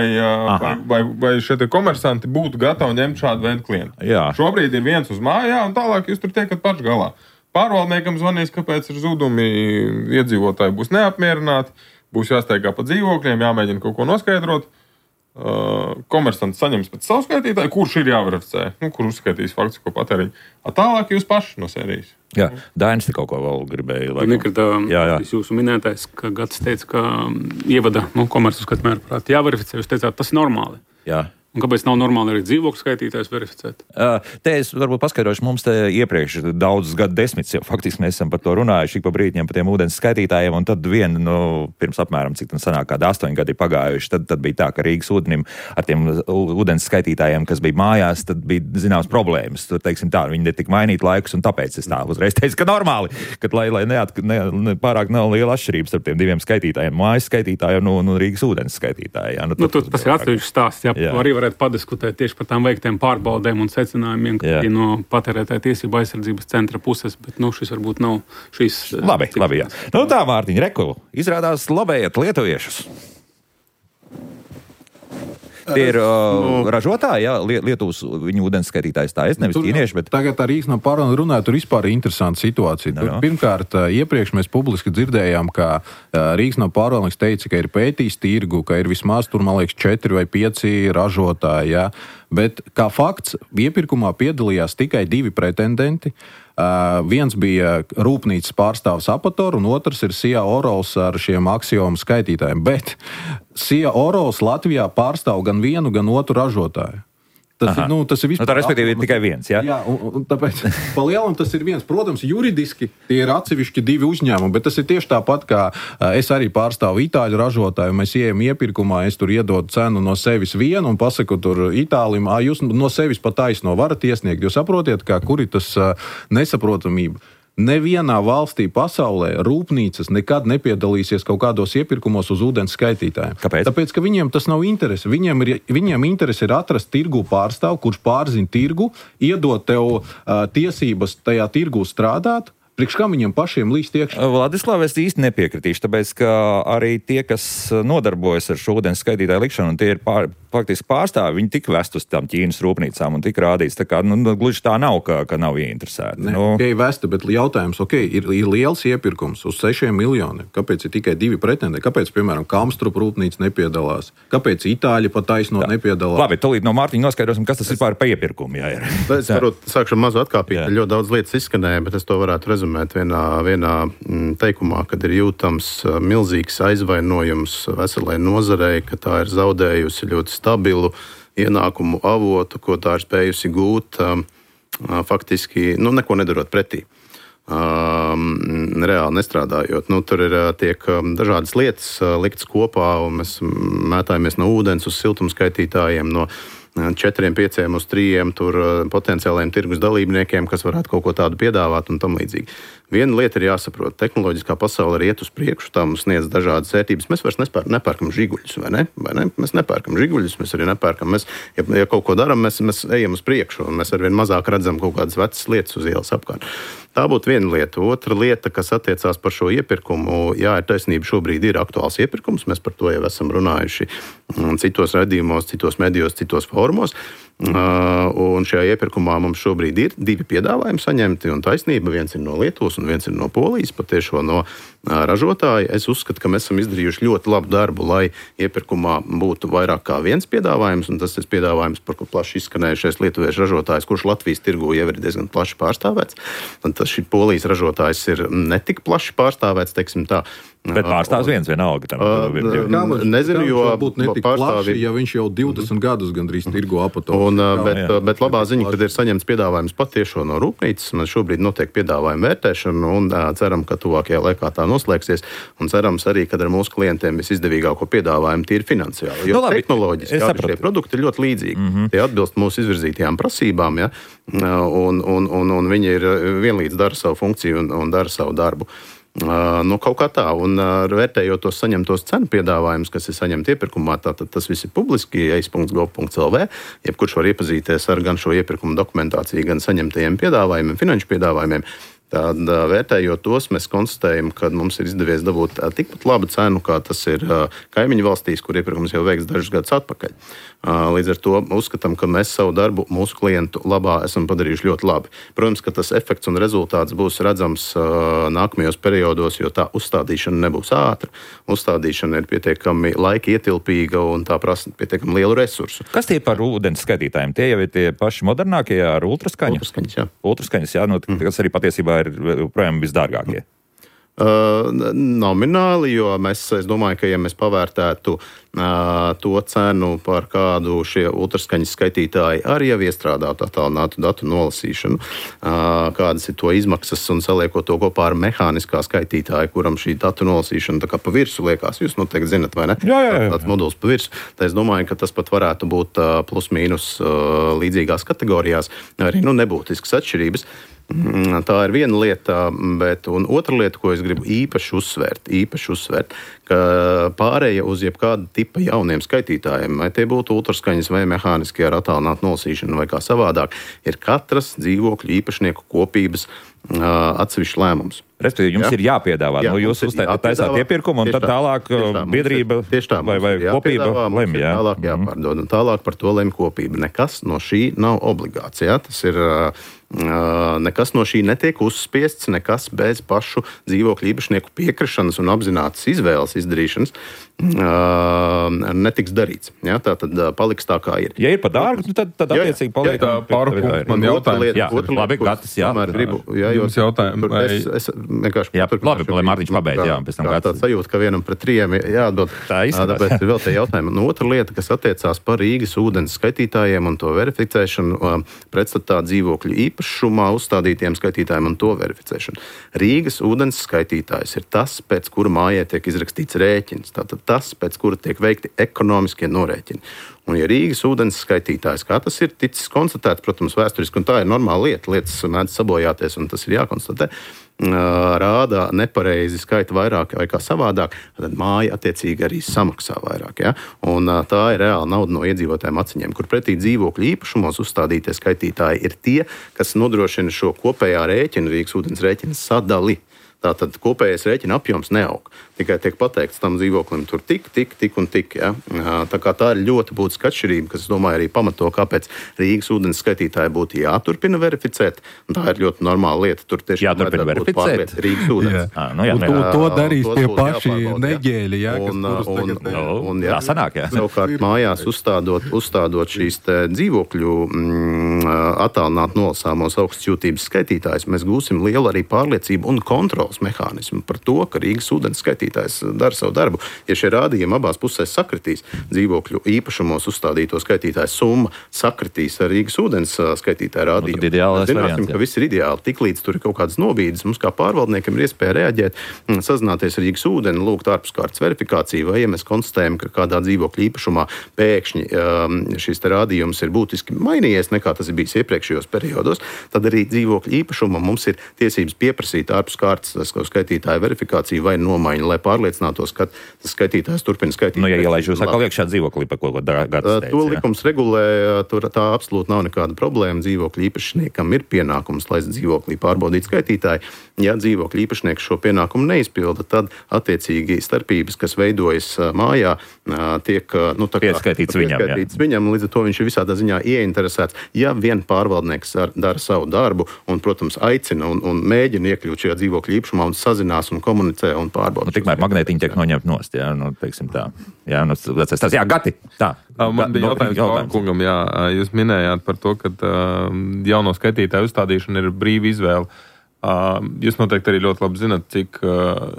vai, vai, vai šie te komersanti būtu gatavi ņemt šādu veidu klientu. Jā. Šobrīd ir viens uz mājā, un tālāk jūs tur tiekat paši galā. Pārvaldniekam zvanīs, kāpēc ir zudumi, iedzīvotāji būs neapmierināti, būs jāsteigā pa dzīvokļiem, jāmēģina kaut ko noskaidrot. Uh, komersants saņems pēc savu skaitītāju, kurš ir jāverificē, nu, kur uzskaitīs faktisko patēriņu. A tālāk jūs paši no sērijas. Jā, Dainis te kaut ko vēl gribēja. Nekritā, jā, jā. Jūsu minētais, ka Gatis teica, ka ievada nu, komersu skatmēru prāt jāverificē, jūs teicāt, tas ir normāli. Jā. Un kāpēc nav normāli arī dzīvokļu skaitītājs verificēt? Uh, te es varbūt paskaidrošu, mums te iepriekš daudzus gadu desmitus jau faktiski mēs esam par to runājuši, ik pa brīdņiem par tiem ūdens skaitītājiem, un tad vien, nu, pirms apmēram, cik tam sanāk, kādi astoņi gadi pagājuši, tad, tad bija tā, ka Rīgas ūdenim ar tiem ūdens skaitītājiem, kas bija mājās, tad bija zināmas problēmas. Tur, teiksim tā, viņi netika mainīt laikus, un tāpēc es tā uzreiz teicu, ka normāli, kad lai, lai neat, ne, ne, pārāk nav liela atšķirības starp tiem diviem skaitītājiem, mājas skaitītājiem un, un, un Rīgas ūdens skaitītājiem. Nu, nu, tu, tas ir atsevišķs stāsts, jā. jā. Varētu padiskutēt tieši par tām veiktiem pārbaudēm un secinājumiem, ka ir no patērētāja tiesību aizsardzības centra puses, bet nu, šis varbūt nav šīs... Labi, cik... labi, jā. Nu tā, Mārtiņ, reku, izrādās lobējat lietuviešus. Tie ir uh, ražotāji, jā, Lietuvas viņu ūdensskaitītājs tā es, nevis ķīnieši, bet... Tagad ar Rīgas no pārvaldu runāju, tur vispār ir interesanta situācija. Tur, pirmkārt, iepriekš mēs publiski dzirdējām, ka Rīgas no pārvaldnieks teica, ka ir pētījis tirgu, ka ir vismaz tur, man liekas, četri vai pieci ražotāji, jā. Bet kā fakts, iepirkumā piedalījās tikai divi pretendenti. Uh, viens bija rūpnīcas pārstāvs Apator, un otrs ir Sija Orols ar šiem aksiomu skaitītājiem. Bet Sija Orols Latvijā pārstāv gan vienu, gan otru ražotāju. Tas ir, nu, tas ir vispār... Nu, tā respektīvi ir tikai viens, jā? Jā, un, un tāpēc pa lielam tas ir viens. Protams, juridiski tie ir atsevišķi divi uzņēmumi, bet tas ir tieši tāpat, kā es arī pārstāvu itāļu ražotāju, mēs ejam iepirkumā, es tur iedodu cenu no sevis vienu un pasaku tur Itālim, ā, jūs no sevis pa taisno varat iesniegt. Jūs saprotiet, kā kur ir tas nesaprotamība. Nevienā valstī pasaulē rūpnīcas nekad nepiedalīsies kaut kādos iepirkumos uz ūdens skaitītājiem. Kāpēc? Tāpēc, ka viņiem tas nav interese. Viņiem ir, viņiem interese ir atrast tirgu pārstāvu, kurš pārzina tirgu, iedot tev uh, tiesības tajā tirgu strādāt. Priekš kā viņiem pašiem līst iekšā? Vladislav, es īsti nepiekritīšu, tāpēc, ka arī tie, kas nodarbojas ar šo ūdens skaitītāju likšanu, un tie ir pār, faktiski pārstāvi, viņi tika vest uz tām Ķīnas rūpnīcām un tika rādīts. Tā kā, nu, gluži tā nav, ka, ka nav ieinteresēti. Ne, nu. okay, vesti, bet jautājums, ok, ir, ir liels iepirkums uz sešiem miljoniem. Kāpēc ir tikai divi pretendenti? Kāpēc, piemēram, Kamstrup rūpnīca nepiedalās? Kāpēc Itāļi pat taisno nepiedalās? Labi, tūlīt no Mārtiņa noskaidrosim, kas tas es... ir pār pa iepirkumu. Jā, ir. Es varbūt sākšu mazu atkāpīt, ļoti daudz lietas izskanēja, bet es to varētu rezumēt vienā, vienā teikumā, kad ir jūtams milzīgs aizvainojums veselai nozarei, ka tā ir zaudējusi ļoti stabilu ienākumu avotu, ko tā ir spējusi gūt, faktiski, nu, neko nedarot pretī. um, reāli nestrādājot. Nu, tur ir tiek dažādas lietas liktas kopā, un mēs mētājamies no ūdens uz siltumskaitītājiem, no četriem, pieciem uz trījiem tur potenciāliem tirgus dalībniekiem, kas varētu kaut ko tādu piedāvāt un tam līdzīgi. Viena lieta ir jāsaprot, tehnoloģiskā pasaule ir iet uz priekšu, tā mums sniedz dažādas vērtības. Mēs vairs nespēr, nepērkam žiguļus, vai ne? Vai ne? Mēs nepērkam žiguļus, mēs arī nepērkam. Mēs, ja, ja kaut ko darām, mēs, mēs ejam uz priekšu, un mēs arvien mazāk redzam kaut kādas vecas lietas uz ielas apkārt. Tā būtu viena lieta. Otra lieta, kas attiecās par šo iepirkumu, jā, ir taisnība, šobrīd ir aktuāls iepirkums, mēs par to jau esam runājuši citos raidījumos, citos medijos, citos fórumos. Uh, un šajā iepirkumā mums šobrīd ir divi piedāvājumi saņemti, un taisnība viens ir no Lietuvas un viens ir no Polijas, patiešo no uh, ražotāja. Es uzskatu, ka mēs esam izdarījuši ļoti labu darbu, lai iepirkumā būtu vairāk kā viens piedāvājums, un tas ir piedāvājums, par ko plaši izskanējušies lietuviešu ražotājs, kurš Latvijas tirgū jau ir diezgan plaši pārstāvēts. Un tas šī Polijas ražotājs ir netik plaši pārstāvēts, teiksim tā. Bet pārstāvs viens vienalga. Tam, uh, nezinu, jo pārstāvji, ja viņš jau divdesmit mm-hmm. gadus gandrīz tirgo apato. Un, bet, jā. bet labā ziņa, kad ir saņemts piedāvājums patiešo no rūpnīcas, mēs šobrīd notiek piedāvājuma vērtēšana un ceram, ka tuvākajā laikā tā noslēgsies. Un cerams arī, kad ar mūsu klientiem visizdevīgāko piedāvājumu tīri finansiāli. Jo no, labi, tehnoloģiski arī šie produkti ir ļoti līdzīgi. Mm-hmm. Tie atbilst mūsu izvirzītajām prasībām, ja? un, un, un, un viņi ir vienlīdz dara savu funkciju un, un dara savu darbu. Uh, nu, kaut kā tā, un uh, vērtējot tos saņemtos cenu piedāvājumus, kas ir saņemti iepirkumā, tātad tas viss ir publiski, e i s punkts gov punkts l v, jebkurš var iepazīties ar gan šo iepirkumu dokumentāciju, gan saņemtajiem piedāvājumiem, finanšu piedāvājumiem. Tad, vērtējot tos, mēs konstatējam, ka mums ir izdevies dabūt tikpat labu cenu, kā tas ir kaimiņu valstīs, kur iepirkums jau veikts dažus gadus atpakaļ. Līdz ar to uzskatām, ka mēs savu darbu mūsu klientu labā esam padarījuši ļoti labi. Protams, ka tas efekts un rezultāts būs redzams nākamajos periodos, jo tā uzstādīšana nebūs ātra. Uzstādīšana ir pietiekami laika ietilpīga un tā prasa pietiekami lielu resursu. Kas tie par ūdens skaitītājiem? Tie jau ir tie paši modernākie ar ultraskaņu? Ultraskaņas, jā. Ultraskaņas, jā, nu, kas arī patiesībā ir projām visdārgākie. Uh, nomināli, jo mēs, es domāju, ka ja mēs pavērtētu uh, to cenu, par kādu šie ultraskaņas skaitītāji arī jau iestrādātu attālinātu datu nolasīšanu, uh, kādas ir to izmaksas un saliekot to kopā ar mehāniskā skaitītāju, kuram šī datu nolasīšana tā kā pa virsu liekas, jūs noteikti zinat, vai ne? Jā, jā, jā. Tāds moduls pa virsu. Tā es domāju, ka tas pat varētu būt uh, plus mīnus uh, līdzīgās kategorijās, arī nu, nebūtiskas atšķirības. Tā ir viena lieta, bet un otra lieta, ko es gribu īpaši uzsvērt, īpaši uzsvērt, ka pārēja uz jebkāda tipa jauniem skaitītājiem, vai tie būtu ultraskaņas vai mehāniskie ar attālinātu nolasīšanu vai kā savādāk, ir katras dzīvokļu īpašnieku kopības uh, atsevišķs lēmums. Respektīvi, jums ja? ir jāpiedāvā. Jā, nu, jūs uztaisāt iepirkumu, un tad tālāk tā, biedrība ir, tā, vai, vai kopība lem. Jā. Tālāk jāpārdod, un tālāk par to lem kopība. Nekas no šī nav obligāts. Jā? Tas ir... Uh, nekas no šī netiek uzspiests, nekas bez pašu dzīvokļu īpašnieku piekrišanas un apzinātas izvēles izdarīšanas uh, netiks darīts. Ja? Tā tad uh, paliks tā, kā ir. Ja ir par dārgu, tad, tad attiecīgi paliek. Jā, pārpūk, man jautājums. Jā, labi, Gatis, jā. Gribu, jā, jums jautājumi. Vai... Es, es vienkārši... Jā, labi, lai Mārtiņš pabeidz, jā, pēc tam Gatis. Tā sajūta, ka vienam pret trījiem jāatbild. Tā izskatās. Tāpēc vēl te jautājumi. Un otra lieta, kas attiecās par Rīgas ūdens skaitītājiem un to verificēšanu, pretstatā dzīvokļu īpašnieku šumā uzstādītiem skaitītājiem un to verificēšanu. Rīgas ūdens skaitītājs ir tas, pēc kura mājai tiek izrakstīts rēķins. Tātad tas, pēc kura tiek veikti ekonomiskie norēķini. Un ja Rīgas ūdens skaitītājs, kā tas ir ticis konstatēts, protams, vēsturiski, un tā ir normāla lieta, lietas mēdz sabojāties, un tas ir jākonstatē, rāda nepareizi skaita vairāk vai kā savādāk, tad māja attiecīgi arī samaksā vairāk. Ja? Un tā ir reāla nauda no iedzīvotājiem aciņiem, kur pretī dzīvokļu īpašumos uzstādītie skaitītāji ir tie, kas nodrošina šo kopējā rēķina, Rīgas ūdens rēķina sadali. Tātad kopējais rēķina apjoms neaug. Tikai tiek pateikts tam dzīvoklim tur tik, tik, tik un tik. Ja? Tā kā tā ir ļoti būtiska atšķirība, kas, es domāju, arī pamato, kāpēc Rīgas ūdens skaitītāji būtu jāturpina verificēt. Un tā ir ļoti normāla lieta. Tur tiešām jāturpina verificēt Rīgas ūdens. Jā. Nu, jā, to, to darīs tie paši neģēļi, ja, kas un, un, un, un, un, jā, tā sanāk, jā. Savukārt mājās uzstādot, uzstādot šīs dzīvokļu mm, attālināt nolasāmos augstjūtības skaitītājus, mēs gūsim lielu arī pārliecību un kontroli kontrolas mehānismu par to, ka Rīgas ūdens skaitītājs dara savu darbu. Ja šie rādījumi abās pusēs sakritīs, dzīvokļu īpašumos uzstādīto skaitītāju summa sakritīs ar Rīgas ūdens skaitītāju rādījumu, nu, tad ideālais zināsim, variants, jā. ka viss ir ideāli. Tiklīdz tur ir kaut kādas nobīdes, mums kā pārvaldniekiem ir iespēja reaģēt, sazināties ar Rīgas ūdeni, lūgt ārpuskārtas verifikāciju, vai ja mēs konstatējam, ka kādā dzīvokļa īpašumā pēkšņi um, šis te rādījums ir būtiski mainījies nekā tas ir bijis iepriekšējos periodos, tad arī dzīvokļa īpašumam mums ir tiesības pieprasīt ārpuskārtas skaitītāju verifikāciju vai nomaiņu, lai pārliecinātos, ka tas skaitītājs turpina skaitīt. Nu, ja ielaiž jūs atkal iekšā dzīvoklī, par ko Gatis teica. To likums regulē, tur tā absolūti nav nekāda problēma. Dzīvokļa īpašniekam ir pienākums, lai dzīvoklī pārbaudītu skaitītāju. Ja dzīvokļa īpašnieks šo pienākumu neizpilda, tad attiecīgi starpības, kas veidojas mājā, tiek nu, pieskaitīts viņam. viņam. Līdz ar to viņš ir visādā ziņā ieinteresēts. Ja vien pārvaldnieks dara savu darbu un, protams, aicina un, un mēģina iekļūt šajā dzīvokļa īpašumā un sazinās un komunicē un pārbauda. Nu, tikmēr magnētiņi tiek noņemt nost, jā, nu, teiksim tā. Jā, nu, tas, jā, Gati, tā. Man bija jautājums, jautājums. Kungam, jā, jūs minējāt par to, ka uh, jauno skaitītāju uzstādīšana ir brīva izvēle. Uh, jūs noteikti arī ļoti labi zinat, cik, uh,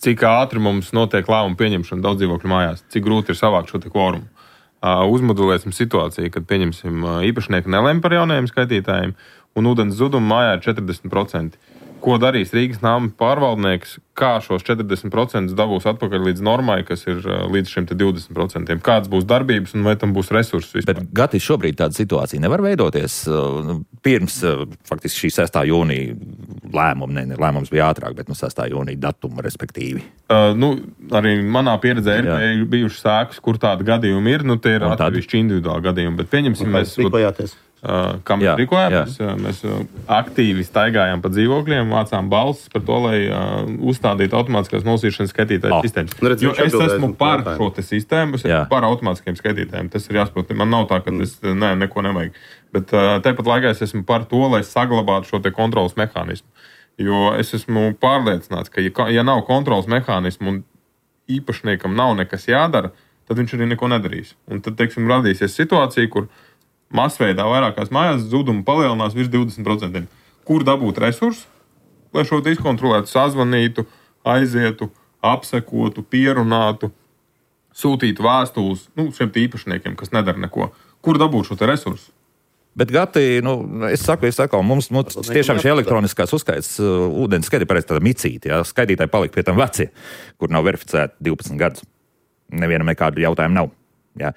cik ātri mums notiek lēmumu pieņemšana daudz dzīvokļu mājās, cik grūti ir savākt šo te kvorumu. Uh, uzmodelēsim situāciju, kad pieņemsim uh, īpašnieku nelēm par jaunajiem skaitītājiem un ūdens zudumu mājā ir četrdesmit procenti. Ko darīs Rīgas nama pārvaldnieks, kā šos četrdesmit procentus dabūs atpakaļ līdz normai, kas ir līdz šim divdesmit procentiem? Kādas būs darbības un vai tam būs resursi vispār? Bet, Gati, šobrīd tāda situācija nevar veidoties. Pirms faktiski šī sestā jūnija lēmuma, ne, ne lēmums bija ātrāk, bet no sestā jūnija datuma, respektīvi. Uh, nu, arī manā pieredzē ir, ir bijuši sākas, kur tādi gadījumi ir. Nu, tie ir atsevišķi individuāli gadījumi, bet pieņemsim, mēs... Rīkojāties. Uh, kam jā, rīkojāmies? Jā. Mēs uh, aktīvi staigājām pa dzīvokļiem, vācām balsis par to, lai uh, uzstādītu automātiskās nolasīšanas skaitītāju oh. sistēmas. Nu, redz, jo es esmu par šo te sistēmu, es esmu par automātiskiem skaitītājiem. Tas ir jāsaprot. Man nav tā, ka es ne, neko nevajag. Bet uh, tepat laikā es esmu par to, lai saglabātu šo te kontrolas mehānismu. Jo es esmu pārliecināts, ka ja, ja nav kontrolas mehānismu un īpašniekam nav nekas jādara, tad viņš arī neko nedarīs. Un tad, teiksim, radīsies situācija, kur masveidā vairākās mājās zudumu palielinās virs divdesmit procentiem. Kur dabūt resursus, lai šo izkontrolētu, sazvanītu, aizietu, apsekotu, pierunātu, sūtītu vēstules nu, šiem īpašniekiem, kas nedara neko. Kur dabūt šo resursu? Bet, Gati, nu, es saku, es saku, mums, mums tiešām šī elektroniskās uzskaits uh, ūdens skaidri pareiz tāda micīta, jā, skaitītāji palika pie tam veci, kur nav verificēti divpadsmit gadus. Nevienam nekādu jautājumu nav. Jā.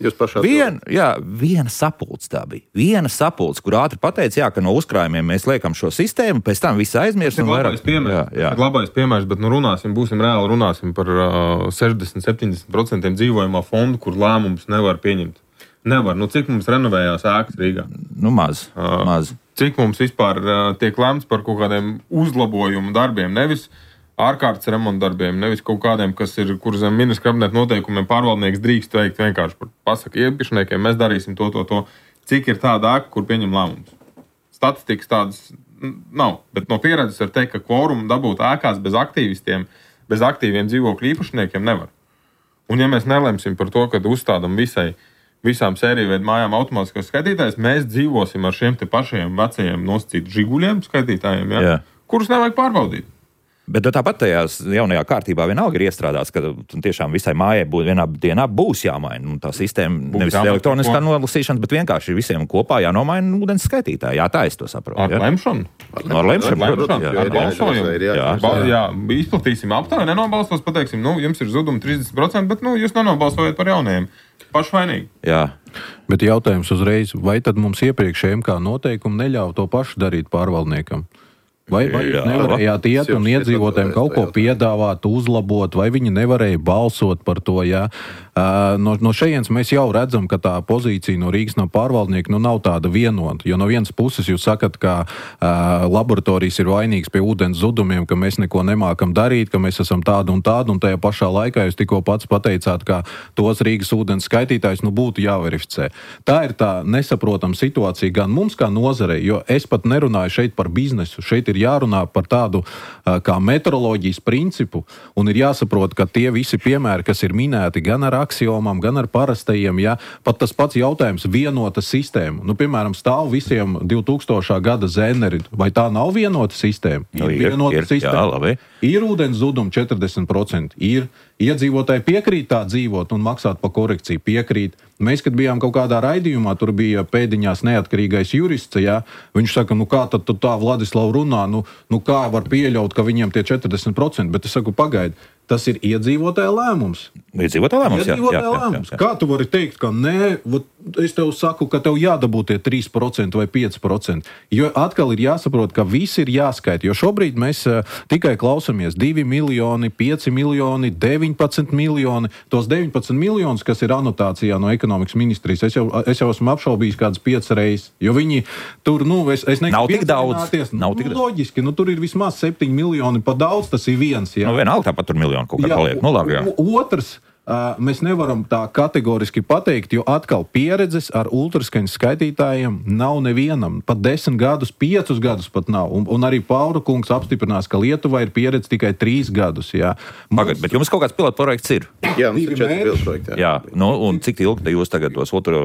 Jūs pašā Vien, jā, viena sapulce tā bija. Viena sapulce, kur ātri pateica, jā, ka no uzkrājumiem mēs liekam šo sistēmu, pēc tam visu aizmirst. Tas ir labais piemērs, jā, jā. labais piemērs, bet nu runāsim, būsim reāli runāsim par uh, sešdesmit līdz septiņdesmit procentiem dzīvojamā fondu, kur lēmums nevar pieņemt. Nevar. Nu, cik mums renovējās ēkas Rīgā? Nu, maz. Uh, maz. Cik mums vispār uh, tiek lemts par kaut kādiem uzlabojumu darbiem, nevis ārkārtas remonta darbiem, nevis kaut kādiem, kas ir, kur zem ministra kabineta noteikumiem pārvaldnieks drīkst veikt vienkārši par pasaka iepašniekiem, mēs darīsim to, to, to. Cik ir tāda ēka, kur pieņem lēmumus? Statistikas tādas nav, bet no pieredzes var teikt, ka kvorumu dabūt ēkās bez aktīvistiem, bez aktīviem dzīvokļu īpašniekiem nevar. Un ja mēs nelemsim par to, kad uzstādam visai, visām sēriju veidu mājām automātiskos skaitītājus, mēs dzīvosim ar šiem te pašiem vecajiem nosacītu žiguļiem skaitītājiem, ja? Yeah. Kurus nevajag pārbaudīt. Bet tāpat tajās jaunajā kārtībā vienalga ir iestrādāts, ka tiešām visai mājai būs, vienā dienā būs jāmaina. Nu, tā sistēma būs nevis elektroniskā nolasīšana, bet vienkārši visiem kopā jānomaina ūdens skaitītāji. Jā, tā es to saprotu. Ar lemšanu? No ar lemšanu, protams. Ar balsojumu. Jā, jā, izplatīsim aptāju, nenobalstos, pateiksim, nu, jums ir zudumi trīsdesmit procenti, bet nu, jūs nenobalsojat par jaunajiem. Pašvainīgi. Jā. Bet jautājums uzreiz, vai tad mums iepriekšējiem kā noteikumi neļauj to pašu darīt pārvaldniekam? Vai, vai jūs nevarējāt iet un iedzīvotājiem kaut ko piedāvāt, uzlabot, vai viņi nevarēja balsot par to, jā? Uh, no, no šejienes mēs jau redzam, ka tā pozīcija no Rīgas no pārvaldnieka nu, nav tāda vienota, jo no vienas puses jūs sakat, ka uh, laboratorijas ir vainīgas pie ūdens zudumiem, ka mēs neko nemākam darīt, ka mēs esam tādi un tādi, un tajā pašā laikā jūs tikko pats pateicāt, ka tos Rīgas ūdens skaitītājus nu, būtu jāverificē. Tā ir tā nesaprotama situācija gan mums kā nozarei, jo es pat nerunāju šeit par biznesu, šeit ir jārunā par tādu uh, kā metroloģijas principu, un ir jāsaprot, ka tie visi piemēri, kas ir minēti gan ar aksiomām, gan ar parastajiem. Ja? Pat tas pats jautājums vienota sistēma. Nu, piemēram, stāv visiem divtūkstošā gada zēneri. Vai tā nav vienota sistēma? Nu, ir, ir vienota ir, sistēma. Jā, labi. Ir ūdens zudumi četrdesmit procenti. Ir iedzīvotāji piekrīt tā dzīvot un maksāt par korekciju. Piekrīt. Mēs, kad bijām kaut kādā raidījumā, tur bija pēdiņās neatkarīgais jurists, ja? Viņš saka, nu kā tad tā Vladislava runā, nu, nu kā var pieļaut, ka viņiem tie četrdesmit procenti, bet es saku, pagaidi, tas ir iedzīvotāja lēmums. Iedzīvotāja lēmums, jā. Iedzīvotāja jā, jā, lēmums. jā, jā. Kā tu vari teikt, ka nē, es tev saku, ka tev jādabū tie trīs procenti vai pieci procenti, jo atkal ir jāsaprot, ka viss ir jāskaita, jo šobrīd mēs uh, tikai klausamies divi miljoni, pieci miljoni, deviņpadsmit miljoni, tos deviņpadsmit miljonus, kas ir anotācijā no ekonomikas ministrijas, es jau, es jau esmu apšaubījis kādas piecas reizes, jo viņi tur, nu, es, es nav tik daudz. Nav nu, tik loģiski, nu, tur ir vismaz septiņi miljoni, pa daudz tas ir viens. Jā. Nu, vienalga tāpat tur miljonu kaut kā paliek. Nu, labi, jā. Otrs, uh, mēs nevaram tā kategoriski pateikt, jo atkal pieredzes ar ultraskaņas skaitītājiem nav nevienam. Pat desmit gadus, piecus gadus pat nav. Un, un arī Paura kungs apstiprinās, ka Lietuvā ir pieredze tikai trīs gadus. Jā. Pagad, bet jums kaut kāds pilotu projekts ir? Jā, mums ir četri pilotu projekti. Jā, nu, un cik ilgi jūs tagad tos otru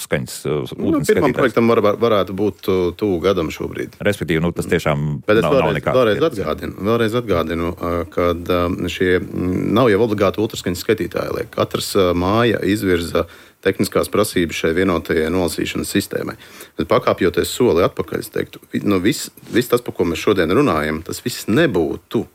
skaņas nu, pirmam projektam var, varētu būt tuvu gadam šobrīd. Respektīvi, nu, tas tiešām bet nav, vēlreiz, nav nekāds. Vēlreiz atgādinu, vēlreiz atgādinu, ka šie nav jau obligāti ultraskaņas skaitītāji. Liek. Katrs māja izvirza tehniskās prasības šai vienotajai nolasīšanas sistēmai. Bet pakāpjoties soli atpakaļ, es teiktu, nu, viss, viss tas, par ko mēs šodien runājam, tas viss nebūtu,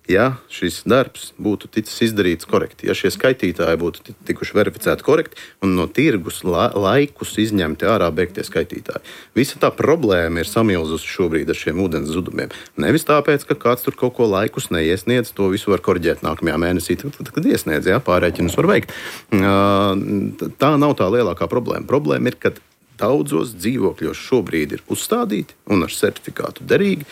ja šis darbs būtu ticis izdarīts korekti, ja šie skaitītāji būtu tikuši verificēti korekti un no tirgus la, laikus izņemti ārā beigtie skaitītāji. Visa tā problēma ir samilzusi šobrīd ar šiem ūdens zudumiem. Nevis tāpēc, ka kāds tur kaut ko laikus neiesniedz, to visu var korģēt nākamajā mēnesī, tad, kad iesniedz, ja, pārēķinus var veikt. Tā nav tā lielākā problēma. Problēma ir, ka daudzos dzīvokļos šobrīd ir uzstādīti un ar certifikātu derīgi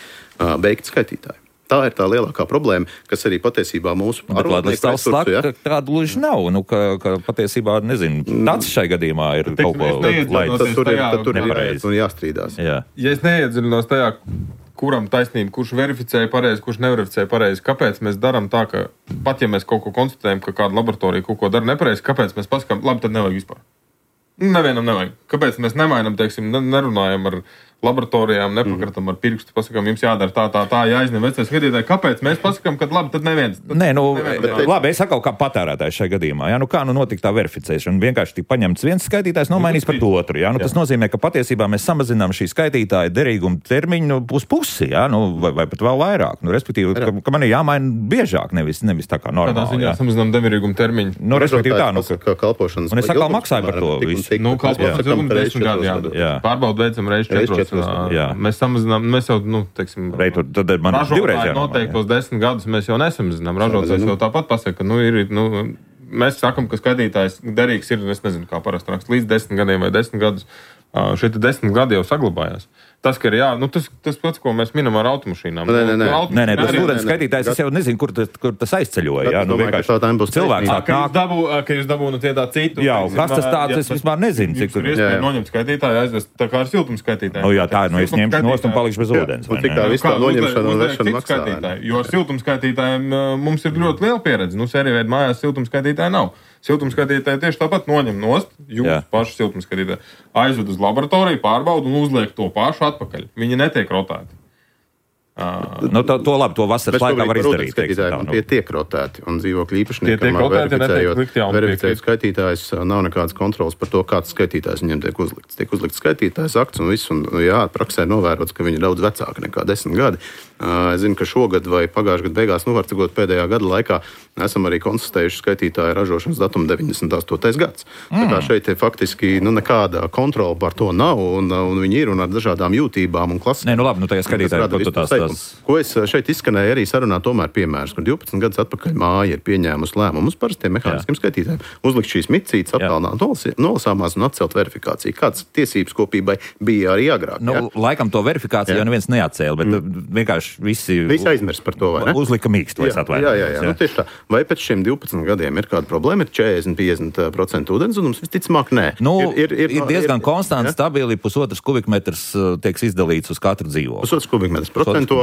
beigti skaitītāji. Tā ir tā lielākā problēma, kas arī patiesībā mūsu pārvaldnieku resursu, ja? Tāda gluži nav, nu, ka, ka patiesībā, nezinu, tāds šai gadījumā ir kaut ko, lai tas tur ir, tad tur ir jāiet un jāstrīdās. Jā. Ja es neiedziļinos tajā, kuram taisnība, kurš verificēja pareizi, kurš neverificēja pareizi, kāpēc mēs darām tā, ka pat ja mēs kaut ko konstatējam, ka kāda laboratorija kaut ko dara nepareizi, kāpēc mēs pasakām, labi, tad nevajag vispār. Nevienam nevajag. Kāpēc mēs nemainam, teiksim, nerunājam ar laboratorijām, nepakratam ar pirkstu, pasakām, jums jādara tā, tā, tā, jāizņem vecais skatītāji. Kāpēc mēs pasakām, ka labi, tad neviens? Tad Nē, nu, neviens. labi, es saku, kā patērētājs šajā gadījumā. Jā, nu, kā nu notika tā verificēšana? Vienkārši tika paņemts viens skaitītājs, nomainīts par otru. Jā, nu, tas jā. nozīmē, ka patiesībā mēs samazinām šī skaitītāja derīguma termiņu nu, uz pusi, jā, nu, vai, vai pat vēl vairāk. Nu, respektīvi, ka, ka man ir jāmaina biežāk, nevis, nevis tā kā normāli. Tādā ziņā samazinām derīguma termiņu. Nu, respektīvi tā, nu, ka kalpošanas. Un es atkal maksāju par to visu. Nu, kalpošanas ilgums desmit gadi, jā. Pārbaudu veicam reiz četros. Mēs samazinām, mēs jau, nu, teiksim, Reitur, tad man ražotāji noteiktos desmit gadus mēs jau nesamazinām. Ražotājs jau tāpat pasaka, nu, ir, nu, mēs sakam, ka skaitītājs derīgs ir, es nezinu, kā parasti rakst, līdz desmit gadiem vai desmit gadus. Šie desmit gadi jau saglabājās. Tas, ka ir jā, nu, tas, tas pats, ko mēs minam ar automašīnām. Nē, nē, nē, nē, nē tas ūdens skaitītājs, es jau nezinu, kur tas, kur tas aizceļoja. Jā, nu, vienkārši cilvēks nāk. Ka jūs dabū, ka jūs dabū no tie tā citu. Jā, kas tas tāds, es vispār nezinu, cik tur. Jūs iespēja noņemt skaitītāju, aizvest tā kā ar siltumu skaitītāju. O jā, tā, nu es ņemšu nost un palikšu bez ūdens. Un cik tā viss tā noņemšana un vešana maksā. Jo ar siltumu skaitītājiem mums ir ļoti liela pieredze. Nu, sērija mājās siltumu skaitītāju nav. Siltumskatītāji tieši tāpat noņem nost, jūs Jā. paši siltumskatītāji aizved uz laboratoriju, pārbauda un uzliek to pašu atpakaļ. Viņi netiek rotēti. Uh, nu, to, to labi, to vasaras laikā var izdarīt. Teiksim, tā, nu. Tie tiek rotēti, un dzīvokļu īpašniekam verificējot skaitītājs, nav nekādas kontrolas par to, kāds skaitītājs viņiem tiek uzlikts. Tiek uzlikts skaitītājs akts un viss, un jā, praksē novērots, ka viņi ir daudz vecāki nekā desmit gadi. Uh, es zinu, ka šogad vai pagājušajā gadu beigās, nu, var cikot pēdējā gada laikā, esam arī konstatējuši skaitītāju ražošanas datumu deviņdesmit astotais gads. Mm. Tā kā šeit ir faktiski nu, nekāda kontrola par to nav, un, un viņi ir un ar dažādām jūtībām un klasēm. Nē, nu labi, nu tajā skaitītāji, ko tu tās tās. Ko es šeit izskanēju arī sarunā, tomēr piemērs, kur divpadsmit gadus atpakaļ māja ir pieņēmusi lēmumu uz parastiem mehāniskiem skaitītājiem, uzlikt šīs micītes, attālināt nolasāmās un atcelt verifikāciju. Kāds tiesības kopībai bija arī agrāk. Nu, laikam to verifikāciju jau neviens neatcēla, bet mm. vienkārši visi, visi aizmirst par to, vai ne? Uzlika mīkst, vai es atvainojos. Jā, jā, jā. jā. Nu, tieši tā. Vai pēc šiem divpadsmit gadiem ir kāda problēma? Ir četrdesmit līdz piecdesmit procenti ūdenzudums? Visticamāk, nē. Nu, ir, ir, ir, ir diezgan konstants, ja? Stabili pusotrs kubikmetrs tiek izdalīts uz katru dzīvokli. Pusotrs kubikmetrs procentuāli.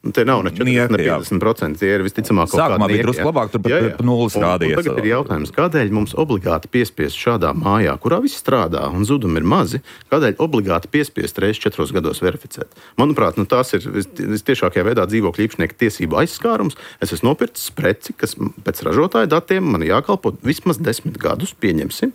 Tie nav ne četrdesmit, ne piecdesmit procenti. Tie ir visticamāk kaut kādi Sākumā bija drusku labāk, tur pat nulles rādījies. Tagad ir jautājums, kādēļ mums obligāti piespiest šādā mājā, kurā viss strādā un zudumi ir mazi, kādēļ obligāti piespiest reiz četros gados verificēt? Manuprāt, nu, tās ir vistiešākajā veidā dzīvokļu īpašnieka tiesību aizskārums. Es esmu nopircis preci, kas pēc ražotāja datiem man jākalpo vismaz desmit gadus, pieņemsim,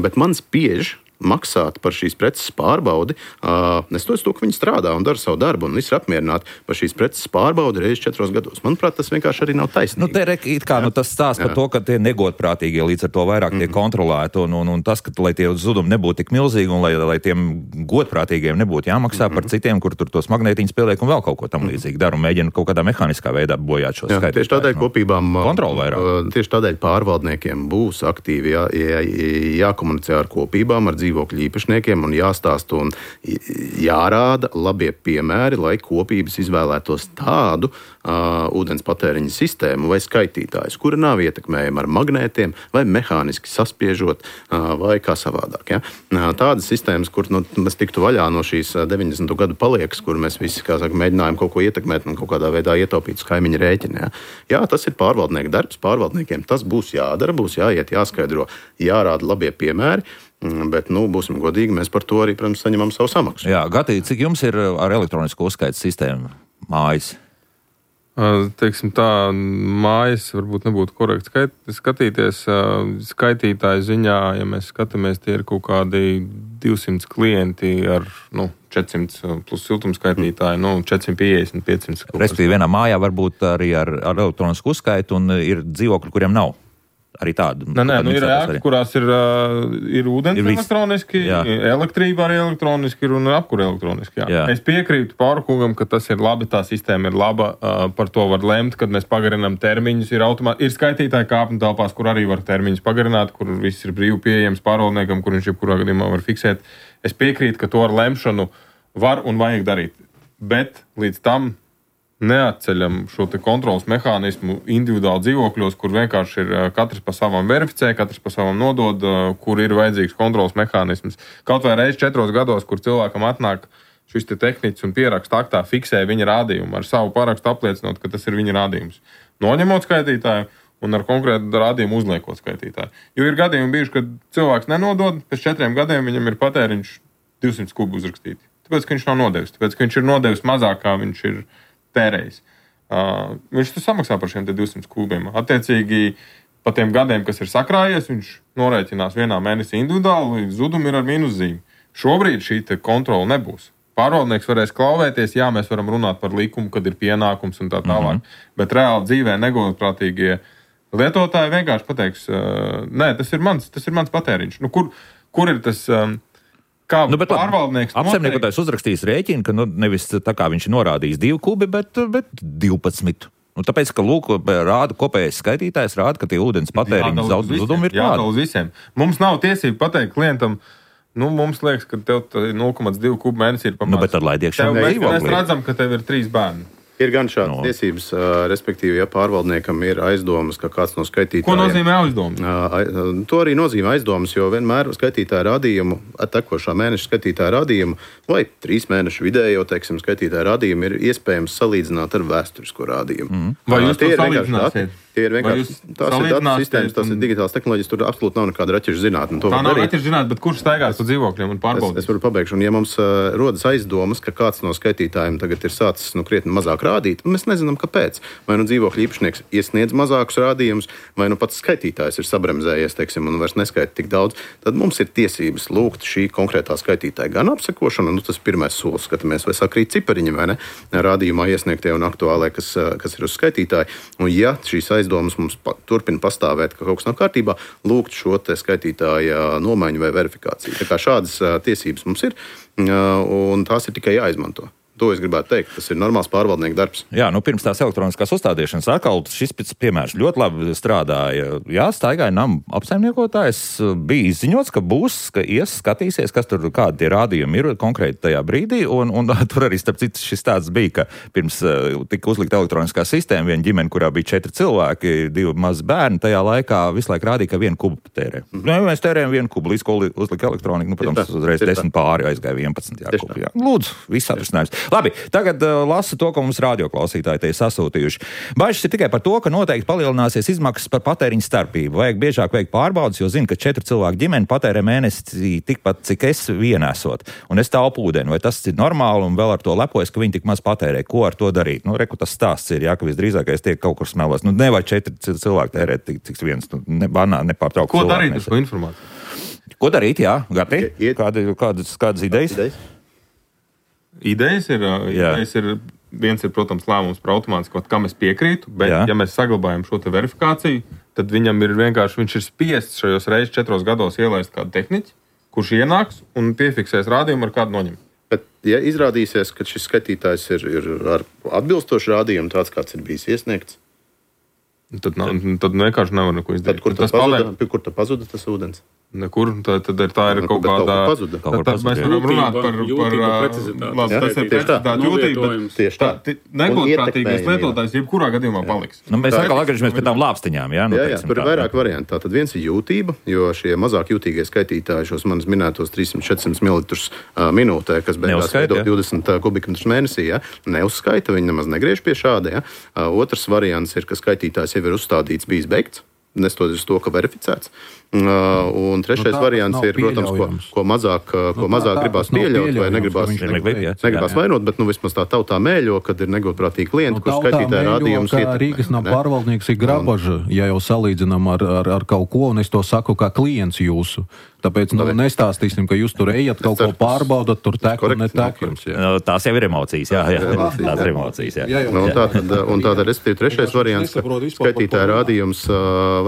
bet man spiež maksāt par šīs preces pārbaudi, uh, nestoties to, ka viņi strādā un dara savu darbu, un visi ir apmierināti par šīs preces pārbaudi reizes četros gados. Manuprāt, tas vienkārši arī nav taisnīgi. Nu, te ir kā nu, tas stāsts par to, ka tie negodprātīgie līdz ar to vairāk tiek mm. kontrolēti, un, un, un tas, ka lai tie zudumi nebūtu tik milzīgi, un lai, lai tiem godprātīgiem nebūtu jāmaksā mm. par citiem, kur tur tos magnētiņus pieliek un vēl kaut ko tam līdzīgi dara, un mēģina kaut kādā mehāniskā veidā bojāt šos skaitus. Tieši tādēļ kopībām, uh, tieši tādēļ pārvaldniekiem būs aktīvi jā, jā, jākomunicē ar kopībām, ar dzīvokļu īpašniekiem un jāstāsta un jārāda labie piemēri, lai kopības izvēlētos tādu uh, ūdens patēriņa sistēmu vai skaitītājus, kura nav ietekmējama ar magnētiem vai mehāniski saspiežot uh, vai kā savādāk. Ja? Uh, tādas sistēmas, kur nu, mēs tiktu vaļā no šīs deviņdesmito gadu paliekas, kur mēs visi, kā saka, mēģinājām kaut ko ietekmēt un kaut kādā veidā ietaupīt uz kaimiņa rēķina. Ja? Jā, tas ir pārvaldnieku darbs, pārvaldniekiem tas būs jādara, būs jāiet, jāskaidro, jārāda labie piemēri. Bet, nu, būsim godīgi, mēs par to arī, protams, saņemam savu samaksu. Jā, Gati, cik jums ir ar elektronisko uzskaites sistēmu mājas? Teiksim tā, mājas varbūt nebūtu korekti skait, skatīties. Skaitītāju ziņā, ja mēs skatāmies, tie ir kaut kādi divsimt klienti ar, nu, četrsimt plus siltumskaitītāji, nu, četri simti piecdesmit, piecsimt. Respektīvi, vienā mājā varbūt arī ar, ar elektronisku uzskaitu un ir dzīvokļi, kuriem nav. Arī tādu. Nē, nē, nu ir ēkas, kurās ir, uh, ir ūdens ir elektroniski, jā. Elektrība arī elektroniski ir un apkure elektroniski. Jā. Jā. Es piekrītu Pārkungam, ka tas ir labi, tā sistēma ir laba, uh, par to var lemt, kad mēs pagarinām termiņus. Ir, automā... ir skaitītāji kāpņu telpās, kur arī var termiņus pagarināt, kur viss ir brīvi pieejams pārvaldniekam, kur viņš jebkurā gadījumā var fiksēt. Es piekrītu, ka to ar lemšanu var un vajag darīt. Bet līdz tam neatceļam šo te kontrolas mehānismu individuāli dzīvokļos, kur vienkārši ir katrs pa savam verificē, katrs pa savam nodod, kur ir vajadzīgs kontrolas mehānisms. Kaut vai reiz četros gados, kur cilvēkam atnāk šis te tehniķis un pieraksta aktā fiksē viņa rādījumu, ar savu parakstu apliecinot, ka tas ir viņa rādījums. Noņemot skaitītāju un ar konkrētu rādījumu uzliekot skaitītāju. Jo ir gadījumi bijuši, kad cilvēks nenodod, pēc četriem gadiem viņam ir patēriņš divsimt kubu uzrakstīti. Tāpēc, ka viņš nav nodevis. Tāpēc, ka viņš ir nodevis mazāk, kā viņš ir tērējis. Uh, viņš tu samaksā par šiem divsimt kubiem. Attiecīgi, pa tiem gadiem, kas ir sakrājies, viņš norēķinās vienā mēnesī individuāli, zudumi ir ar mīnuszīmi. Šobrīd šī te kontrola nebūs. Pārvaldnieks varēs klauvēties, jā, mēs varam runāt par likumu, kad ir pienākums un tā tālāk, mm-hmm. bet reāli dzīvē negodprātīgie lietotāji vienkārši pateiks, uh, nē, tas ir mans, tas ir mans patēriņš. Nu, kur, kur ir tas... Um, Kā nu, pārvaldnieks apsaimniekotājs uzrakstījis rēķinu, ka nu, nevis tā kā viņš ir norādījis divi kubi, bet, bet divpadsmit. Nu, tāpēc, ka lūk, rāda kopējais skaitītājs, rāda, ka tie ūdens patēriņu zudumi ir tādi. Jādala visiem. Mums nav tiesība pateikt klientam, nu, mums liekas, ka tev nulle komats divi kubi mēnesī ir pamats. Nu, bet ar laidiekšanu mēs, mēs redzam, ka tev ir trīs bērni. Ir gan šādas no. tiesības, respektīvi, ja pārvaldniekam ir aizdomas, ka kāds no skaitītājiem... Ko nozīmē aizdomas? To arī nozīmē aizdomas, jo vienmēr skaitītāja rādījumu, tekošā mēneša skaitītāja rādījumu vai trīs mēnešu vidējo, teiksim, skaitītāja rādījumu ir iespējams salīdzināt ar vēsturisko rādījumu. Mm. Vai jūs to salīdzināsiet? Tie ir vienkārši tās ir datu sistēmas, tās ir digitālas tehnoloģijas, tur absolūti nav nekāda raķešu zinātne. Tā nav raķešu zinātne, bet kurš staigās pa dzīvokļiem un pārbaudīs? Es, es varu pabeigšu, un ja mums uh, rodas aizdomas, ka kāds no skaitītājiem tagad ir sācis nu, krietni mazāk rādīt, mēs nezinām, kāpēc. Vai nu dzīvokļu īpašnieks iesniedz mazākus rādījumus, vai nu pats skaitītājs ir sabremzējies, teiksim, un vairs neskaita tik daudz, tad mums ir tiesības lūgt šī konkrētā skaitītāja gan apsekošana, nu tas pirmais solis, skatāmies, vai sakrīt cipariņi, vai ne, rādījumā iesniegtie un aktuālai, kas, kas ir uz skaitītāju. Un ja šīs aizdomas mums pa, turpina pastāvēt, ka kaut kas nav kārtībā, lūgt šo te skaitītāja nomaiņu vai verifikāciju. Tā kā šādas uh, tiesības mums ir, uh, un tās ir tikai jāizmanto. To es gribētu teikt, tas ir normāls pārvaldnieku darbs. Jā, nu pirms tās elektroniskās uzstādīšanas atkal šis piemērs ļoti labi strādāja. Jā, staigāja namu apsaimniekotājs, bija izziņots, ka būs, ka ies skatīsies, kas tur kādi tie rādījumi ir konkrēti tajā brīdī, un, un tur arī starp citu šis tāds bija, ka pirms uh, tika uzlikta elektroniskā sistēma, viena ģimene, kurā bija četri cilvēki, divi mazi bērni, tajā laikā visu laiku rādīja, ka vienu kubu tērē. Mm. Nu, mēs tērējam vienu kubu, līdz ko uzlika elektronika, nu, protams, uzreiz desmit pāri aizgāja vienpadsmit. Jā, kubu, jā. Lūdzu, viss atrisinājums. Labi, tagad uh, lasu to, ko mums radioklausītāji te ir sasūtījuši. Bažas ir tikai par to, ka noteikti palielināsies izmaksas par patēriņu starpību. Vajag biežāk veikt pārbaudas, jo zinu, ka četru cilvēku ģimeni patērē mēnesī tikpat, cik es vienēsot. Un es taupu ūdeni. Vai tas ir normāli un vēl ar to lepojas, ka viņi tik maz patērē? Ko ar to darīt? Nu, reku tas stāsts ir, jā, ka visdrīzākais tiek kaut kur smelos. Nu, nevajag četri cilvēki tērēt tik, cik viens. Nu, ne, banā, nepārtraukt. Ko darīt ar šo informāciju? Ko darīt, jā, Gati? Kāda, kādas, kādas idejas? idejas? Idejas ir, idejas ir, viens ir, protams, lēmums par automātisko, kam es piekrītu, bet, jā. Ja mēs saglabājam šo te verifikāciju, tad viņam ir vienkārši, viņš ir spiests šajos reizes četros gados ielaist kādu tehniķi, kurš ienāks un piefiksēs rādījumu ar kādu noņem. Bet, ja izrādīsies, ka šis skaitītājs ir, ir ar atbilstošu rādījumu, tāds, kāds ir bijis iesniegts, tad, nav, tad vienkārši nevar neko izdarīt. Tad, kur, tad pazuda, kur tad pazuda tas ūdens? Nekur, tā, tad ir, tā ir kaut kāda... Pazuda. Tad, tad mēs varam runāt par... par labi, tas ir precizitāte jūtība, bet tā, negodprātīgais lietotājs jebkurā gadījumā paliks. Nu, mēs atkal atgriežamies pie tām lāpstiņām, jā? Nu, jā, jā, tur ir vairāk varianti. Tātad viens ir jūtība, jo šie mazāk jūtīgie skaitītāji šos manis minētos trīssimt četrsimt mililitrus minūtē, kas beigās veido divdesmit kubikmetrus mēnesī, ja? Neuzskaita, viņi nemaz negriež pie šāda, ja? Otrs variants ir, ka skaitītājs jau ir uzstādīts, bijis beigts. Nestoties to, ka verificēts. Uh, un trešais nu, variants ir, protams, ko, ko mazāk, ko nu, mazāk tā, gribās pieļaut vai negribās, negribās, negribās vainot, bet nu, vismaz tā tautā mēļo, kad ir negodprātīgi klienti, nu, kur skaitītāji rādījums iet. Rīgas nav pārvaldnieks ir grabaža, ja jau salīdzinām ar, ar, ar kaut ko, un es to saku kā klients jūsu. Tāpēc nu, nestāstīsim, ka jūs tur ejat, kaut ko pārbaudat, tur tek un netek jums. No, tās jau ir emocijas, jā. jā. Tās ir emocijas, jā. jā, jā, jā. Nu, un tātad, un tātad respektīvi, trešais variants, ka skaitītāja rādījums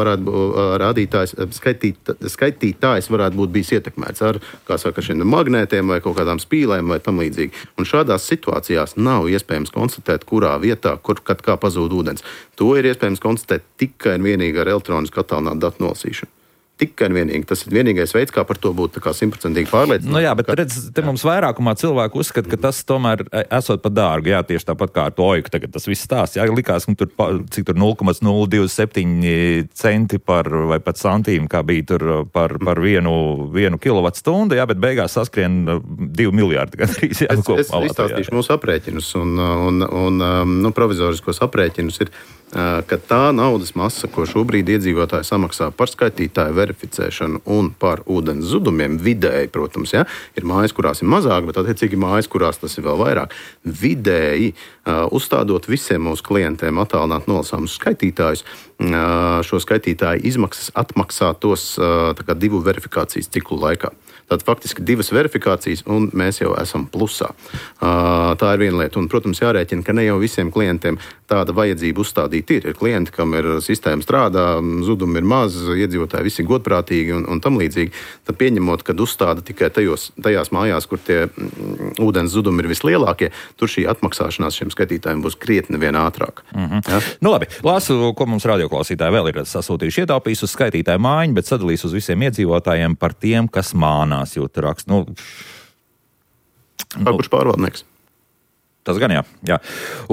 varētu būt, rādītājs, skaitīt, skaitītājs varētu būt bijis ietekmēts ar, kā saka, šiem magnētiem vai kaut kādām spīlēm vai tam līdzīgi. Un šādās situācijās nav iespējams konstatēt, kurā vietā, kur, kad kā pazūd ūdens. To ir iespējams konstatēt tikai un vienīgi ar elektronisku attālinātu datu nolasīšanu. Tikai un vienīgi. Tas ir vienīgais veids, kā par to būt simtprocentīgi pārliecināts. Nu jā, bet redz, te mums vairākumā cilvēku uzskata, ka tas tomēr esot par dārgu. Jā, tieši tāpat kā ar to oiku tagad tas viss stāsts. Jā, likās, ka tur, cik tur nulle komats nulle divdesmit septiņi centi par, vai pat santīmi, kā bija tur par, par vienu, vienu kilovatstundu, jā, bet beigās saskrien divi miljārdi gandrīz. Jā, es es izstāstīšu mūsu aprēķinus un, un, un nu, provizoriskos aprēķinus ir, ka tā naudas masa, ko šobrīd iedzīvotāji samaksā par skaitītāju verificēšanu un par ūdens zudumiem, vidēji, protams, ja, ir mājas, kurās ir mazāk, bet attiecīgi mājas, kurās tas ir vēl vairāk. Vidēji, uh, uzstādot visiem mūsu klientiem attālināt nolasāmus skaitītājus, uh, šo skaitītāju izmaksas atmaksātos uh, tā kā divu verifikācijas ciklu laikā. Tātad faktiski divas verifikācijas, un mēs jau esam plusā. Uh, tā ir viena lieta. Un, protams, jārēķina, ka ne jau visiem klientiem tāda vajadzība uzstādīt ir. Ir klienti, kam ir sistēma strādā, zudumi ir maz, iedzīvotāji visi godprātīgi un, un tam līdzīgi. Tad pieņemot, kad uzstāda tikai tajos, tajās mājās, kur tie mm, ūdens zudumi ir vislielākie, tur šī atmaksāšanās šiem skaitītājiem būs krietni vien ātrāk. Mm-hmm. Ja? Nu labi, lasu, ko mums radioklausītāji vēl ir sasūtījuši. Ietaupījis uz skaitītāju mājiņu, bet sadalīs uz visiem iedzīvotājiem par tiem, kas mānās, jo tur raksts. Nu, nu, kurš pārvaldnieks? Tas gan jā. jā.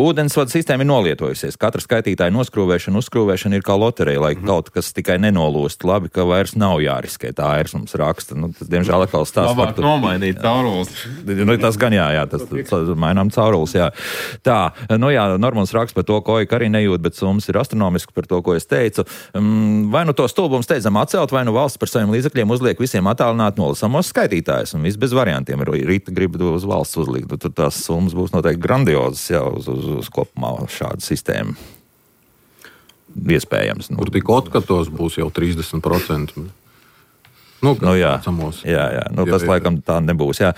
Ūdensvada sistēma ir nolietojusies. Katra skaitītāja noskrūvēšana, uzskrūvēšana ir kā loterija, lai mm. kaut kas tikai nenolūst. Labi, ka vairs nav jāriskē. Tā ir mums raksta. Nu, tas, diemžēl, atkal stāsts. Labāk par... nomainīt caurules. Nu, tas gan jā, jā. Tas, tas mainām caurules, jā. Tā, nu jā, Normons raksta par to, ko Oika arī nejūt, bet summas ir astronomiski par to, ko es teicu. Vai nu to stulbumu steidzam atcelt, vai nu valsts par saviem līdzekļiem uzliek visiem attālināt nolasamos skaitītājus. Un viss bez variantiem. Rīta grib uz valsts uzlikt. Tur tās summas būs noteikti grandiozas jau uz, uz, uz kopumā šādu sistēmu. Iespējams. Nu. Kur tik otkatos būs jau trīsdesmit procenti. Nu, nu, jā, jā, jā. Nu, tas jā, jā. Laikam tā nebūs. Jā.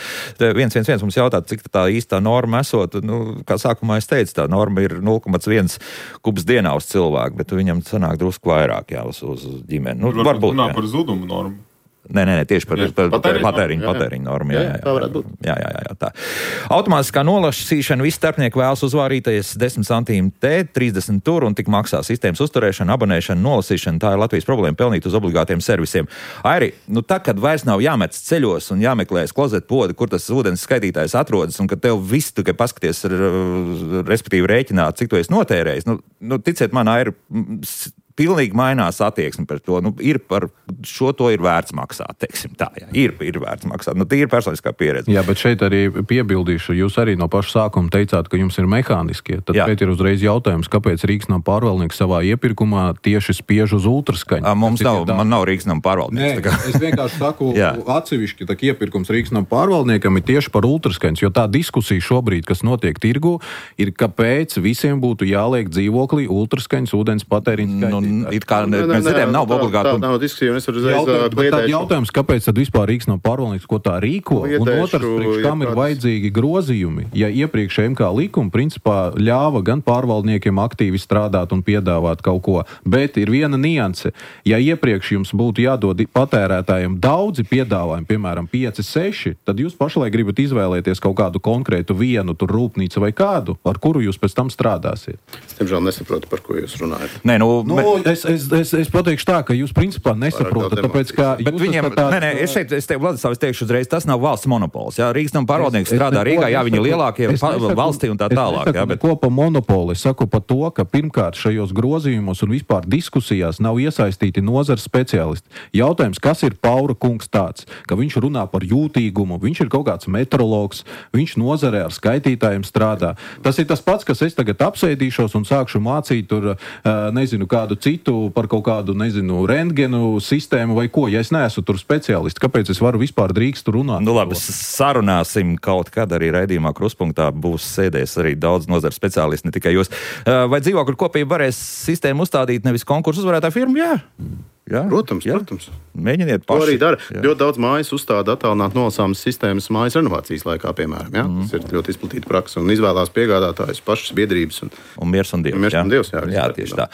viens viens viens mums jautā, cik tā īstā norma esot. Nu, kā sākumā es teicu, tā norma ir nulle komats viens kubs dienā uz cilvēku, bet viņam sanāk drusku vairāk jā, uz, uz ģimeni. Nu, varbūt varbūt runā par zudumu normu. Nē, nē, nē, tieši par, par patēriņu, patēriņu, patēriņu normu. Jā, jā, jā, tā varētu būt. Jā, jā, jā, jā, tā. Automātiskā nolasīšana, visi starpnieki vēlas uzvārīties desmit centīm te, trīsdesmit tur un tik maksā sistēmas uzturēšana, abonēšana, nolasīšana. Tā ir Latvijas problēma pelnīt uz obligātiem servisiem. Airi, nu tā, kad vairs nav jāmetas ceļos un jāmeklēs klozet podi, kur tas ūdens skaitītājs atrodas un kad tev viss tikai paskaties, respektīvi rēķināt, cik tu esi notērējis, nu, nu ticiet man, Airi, pilnīgi mainās attieksme par to. Nu, ir par šo to ir vērts maksāt, teiksim tā, jā. Ir, ir vērts maksāt. Nu, tīri personiskā pieredze. Jā, bet šeit arī piebildīšu, jūs arī no paša sākuma teicāt, ka jums ir mehāniskie. Tad jā. Šeit ir uzreiz jautājums, kāpēc Rīgsnama pārvaldnieks savā iepirkumā tieši spiež uz ultraskaņu? A, mums nav, man nav Rīgsnama pārvaldnieks. Nē, es vienkārši saku atsevišķi, ka iepirkums Rīgsnama pārvaldniekam ir tieši par ultraskaņas, jo tā diskusija šobrīd, kas notiek tirgu, ir, kāpēc visiem būtu jāliek dzīvoklī ultraskaņas ūdens patēriņa skaņa. Nu, it kā ne, mēs dzirdējām, nav obligāti. Tā nav diskusija, un es varu uzreiz kliedēšu. Jautājums, kāpēc tad vispār Rīgsnama pārvaldnieks, ko tā rīko, kliedēšu, un otrs, priekš kam ir vajadzīgi grozījumi, ja iepriekš M K likuma principā ļāva gan pārvaldniekiem aktīvi strādāt un piedāvāt kaut ko, bet ir viena nianse. Ja iepriekš jums būtu jādod patērētājiem daudzi piedāvājumi, piemēram, pieci, seši, tad jūs pašlaik gribat izvēlēties kaut kādu konkrētu vienu tur rūpnīcu vai kādu, ar kuru jūs pēc tam strādāsiet. Es tiemžēl nesaprotu, par ko jūs runājat. Nē, nu, nu, bet... es, es, es, es pateikšu tā, ka jūs principā nesaprotat, tāpēc, ka... Bet viņiem, tā... nē, nē, es šeit, es teiktu, Vladislav, es teikšu uzreiz, tas nav valsts monopols, jā, Rīgsnama pārvaldnieks es, strādā es Rīgā, jā, viņi lielākie valstī un tā tālāk, jā, bet... Es nesaku neko pa monopolu, es saku pa to, ka pirmkārt šajos grozījumos un vispār diskusijās nav iesaistīti nozars speciālisti. Jautājums, kas ir Paura kungs tāds, ka viņš runā par jūtīgumu, viņš ir kaut kāds meteorologs, viņš nozarē ar skaitītājiem strādā. Tas ir tas pats, kas es tagad apsēdīšos un sākšu mācīt tur, nezinu, kādu citu par kaut kādu, nezinu, rentgenu sistēmu vai ko, ja es neesmu tur speciālists, kāpēc es varu vispār drīkstu runāt? Nu labi, sarunāsim kaut kad arī raidījumā Kruspunktā būs sēdēs arī daudz nozaru speciālisti, ne tikai jūs. Vai dzīvokļu kopība varēs sistēmu uzstādīt nevis konkursu uzvarētāju firmu? Jā. Jā, protams, jā. protams. Mēģiniet paši. To arī dara. Jā. Ļoti daudz mājas uzstāda attālināt nolasāmas sistēmas mājas renovācijas laikā, piemēram. Jā? Mm. Tas ir ļoti izplatīta praksa un izvēlās piegādātājus pašas biedrības. Un, un miers un dievs. Un miers jā. un dievs, jā. Jā, tieši tā.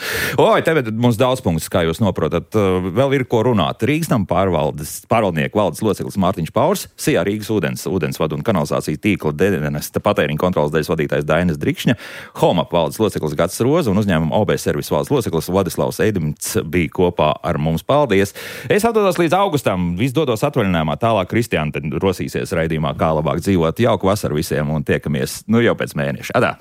Oi, tev mums daudz punktus, kā jūs noprotat. Vēl ir ko runāt. Rīgsnama pārvaldnieku valdes loceklis Mārtiņš Paurs, S I A Rīgas ūdens, ūdensvadu un kanalizācijas tīkla dienesta patēriņa kontrolas daļas vadītājs Dainis Drikšņa, Homap valdes loceklis Gatis Roza un uzņēmuma O B Servis valdes loceklis Vladislavs Eidimts bija kopā ar mums. Paldies! Es atdodos līdz augustam, viss dodos atvaļinājumā, tālāk Kristiāna rosīsies raidījumā, kā labāk dzīvot. Jauku vasaru visiem un tiekamies nu jau pēc mēneša. Adā!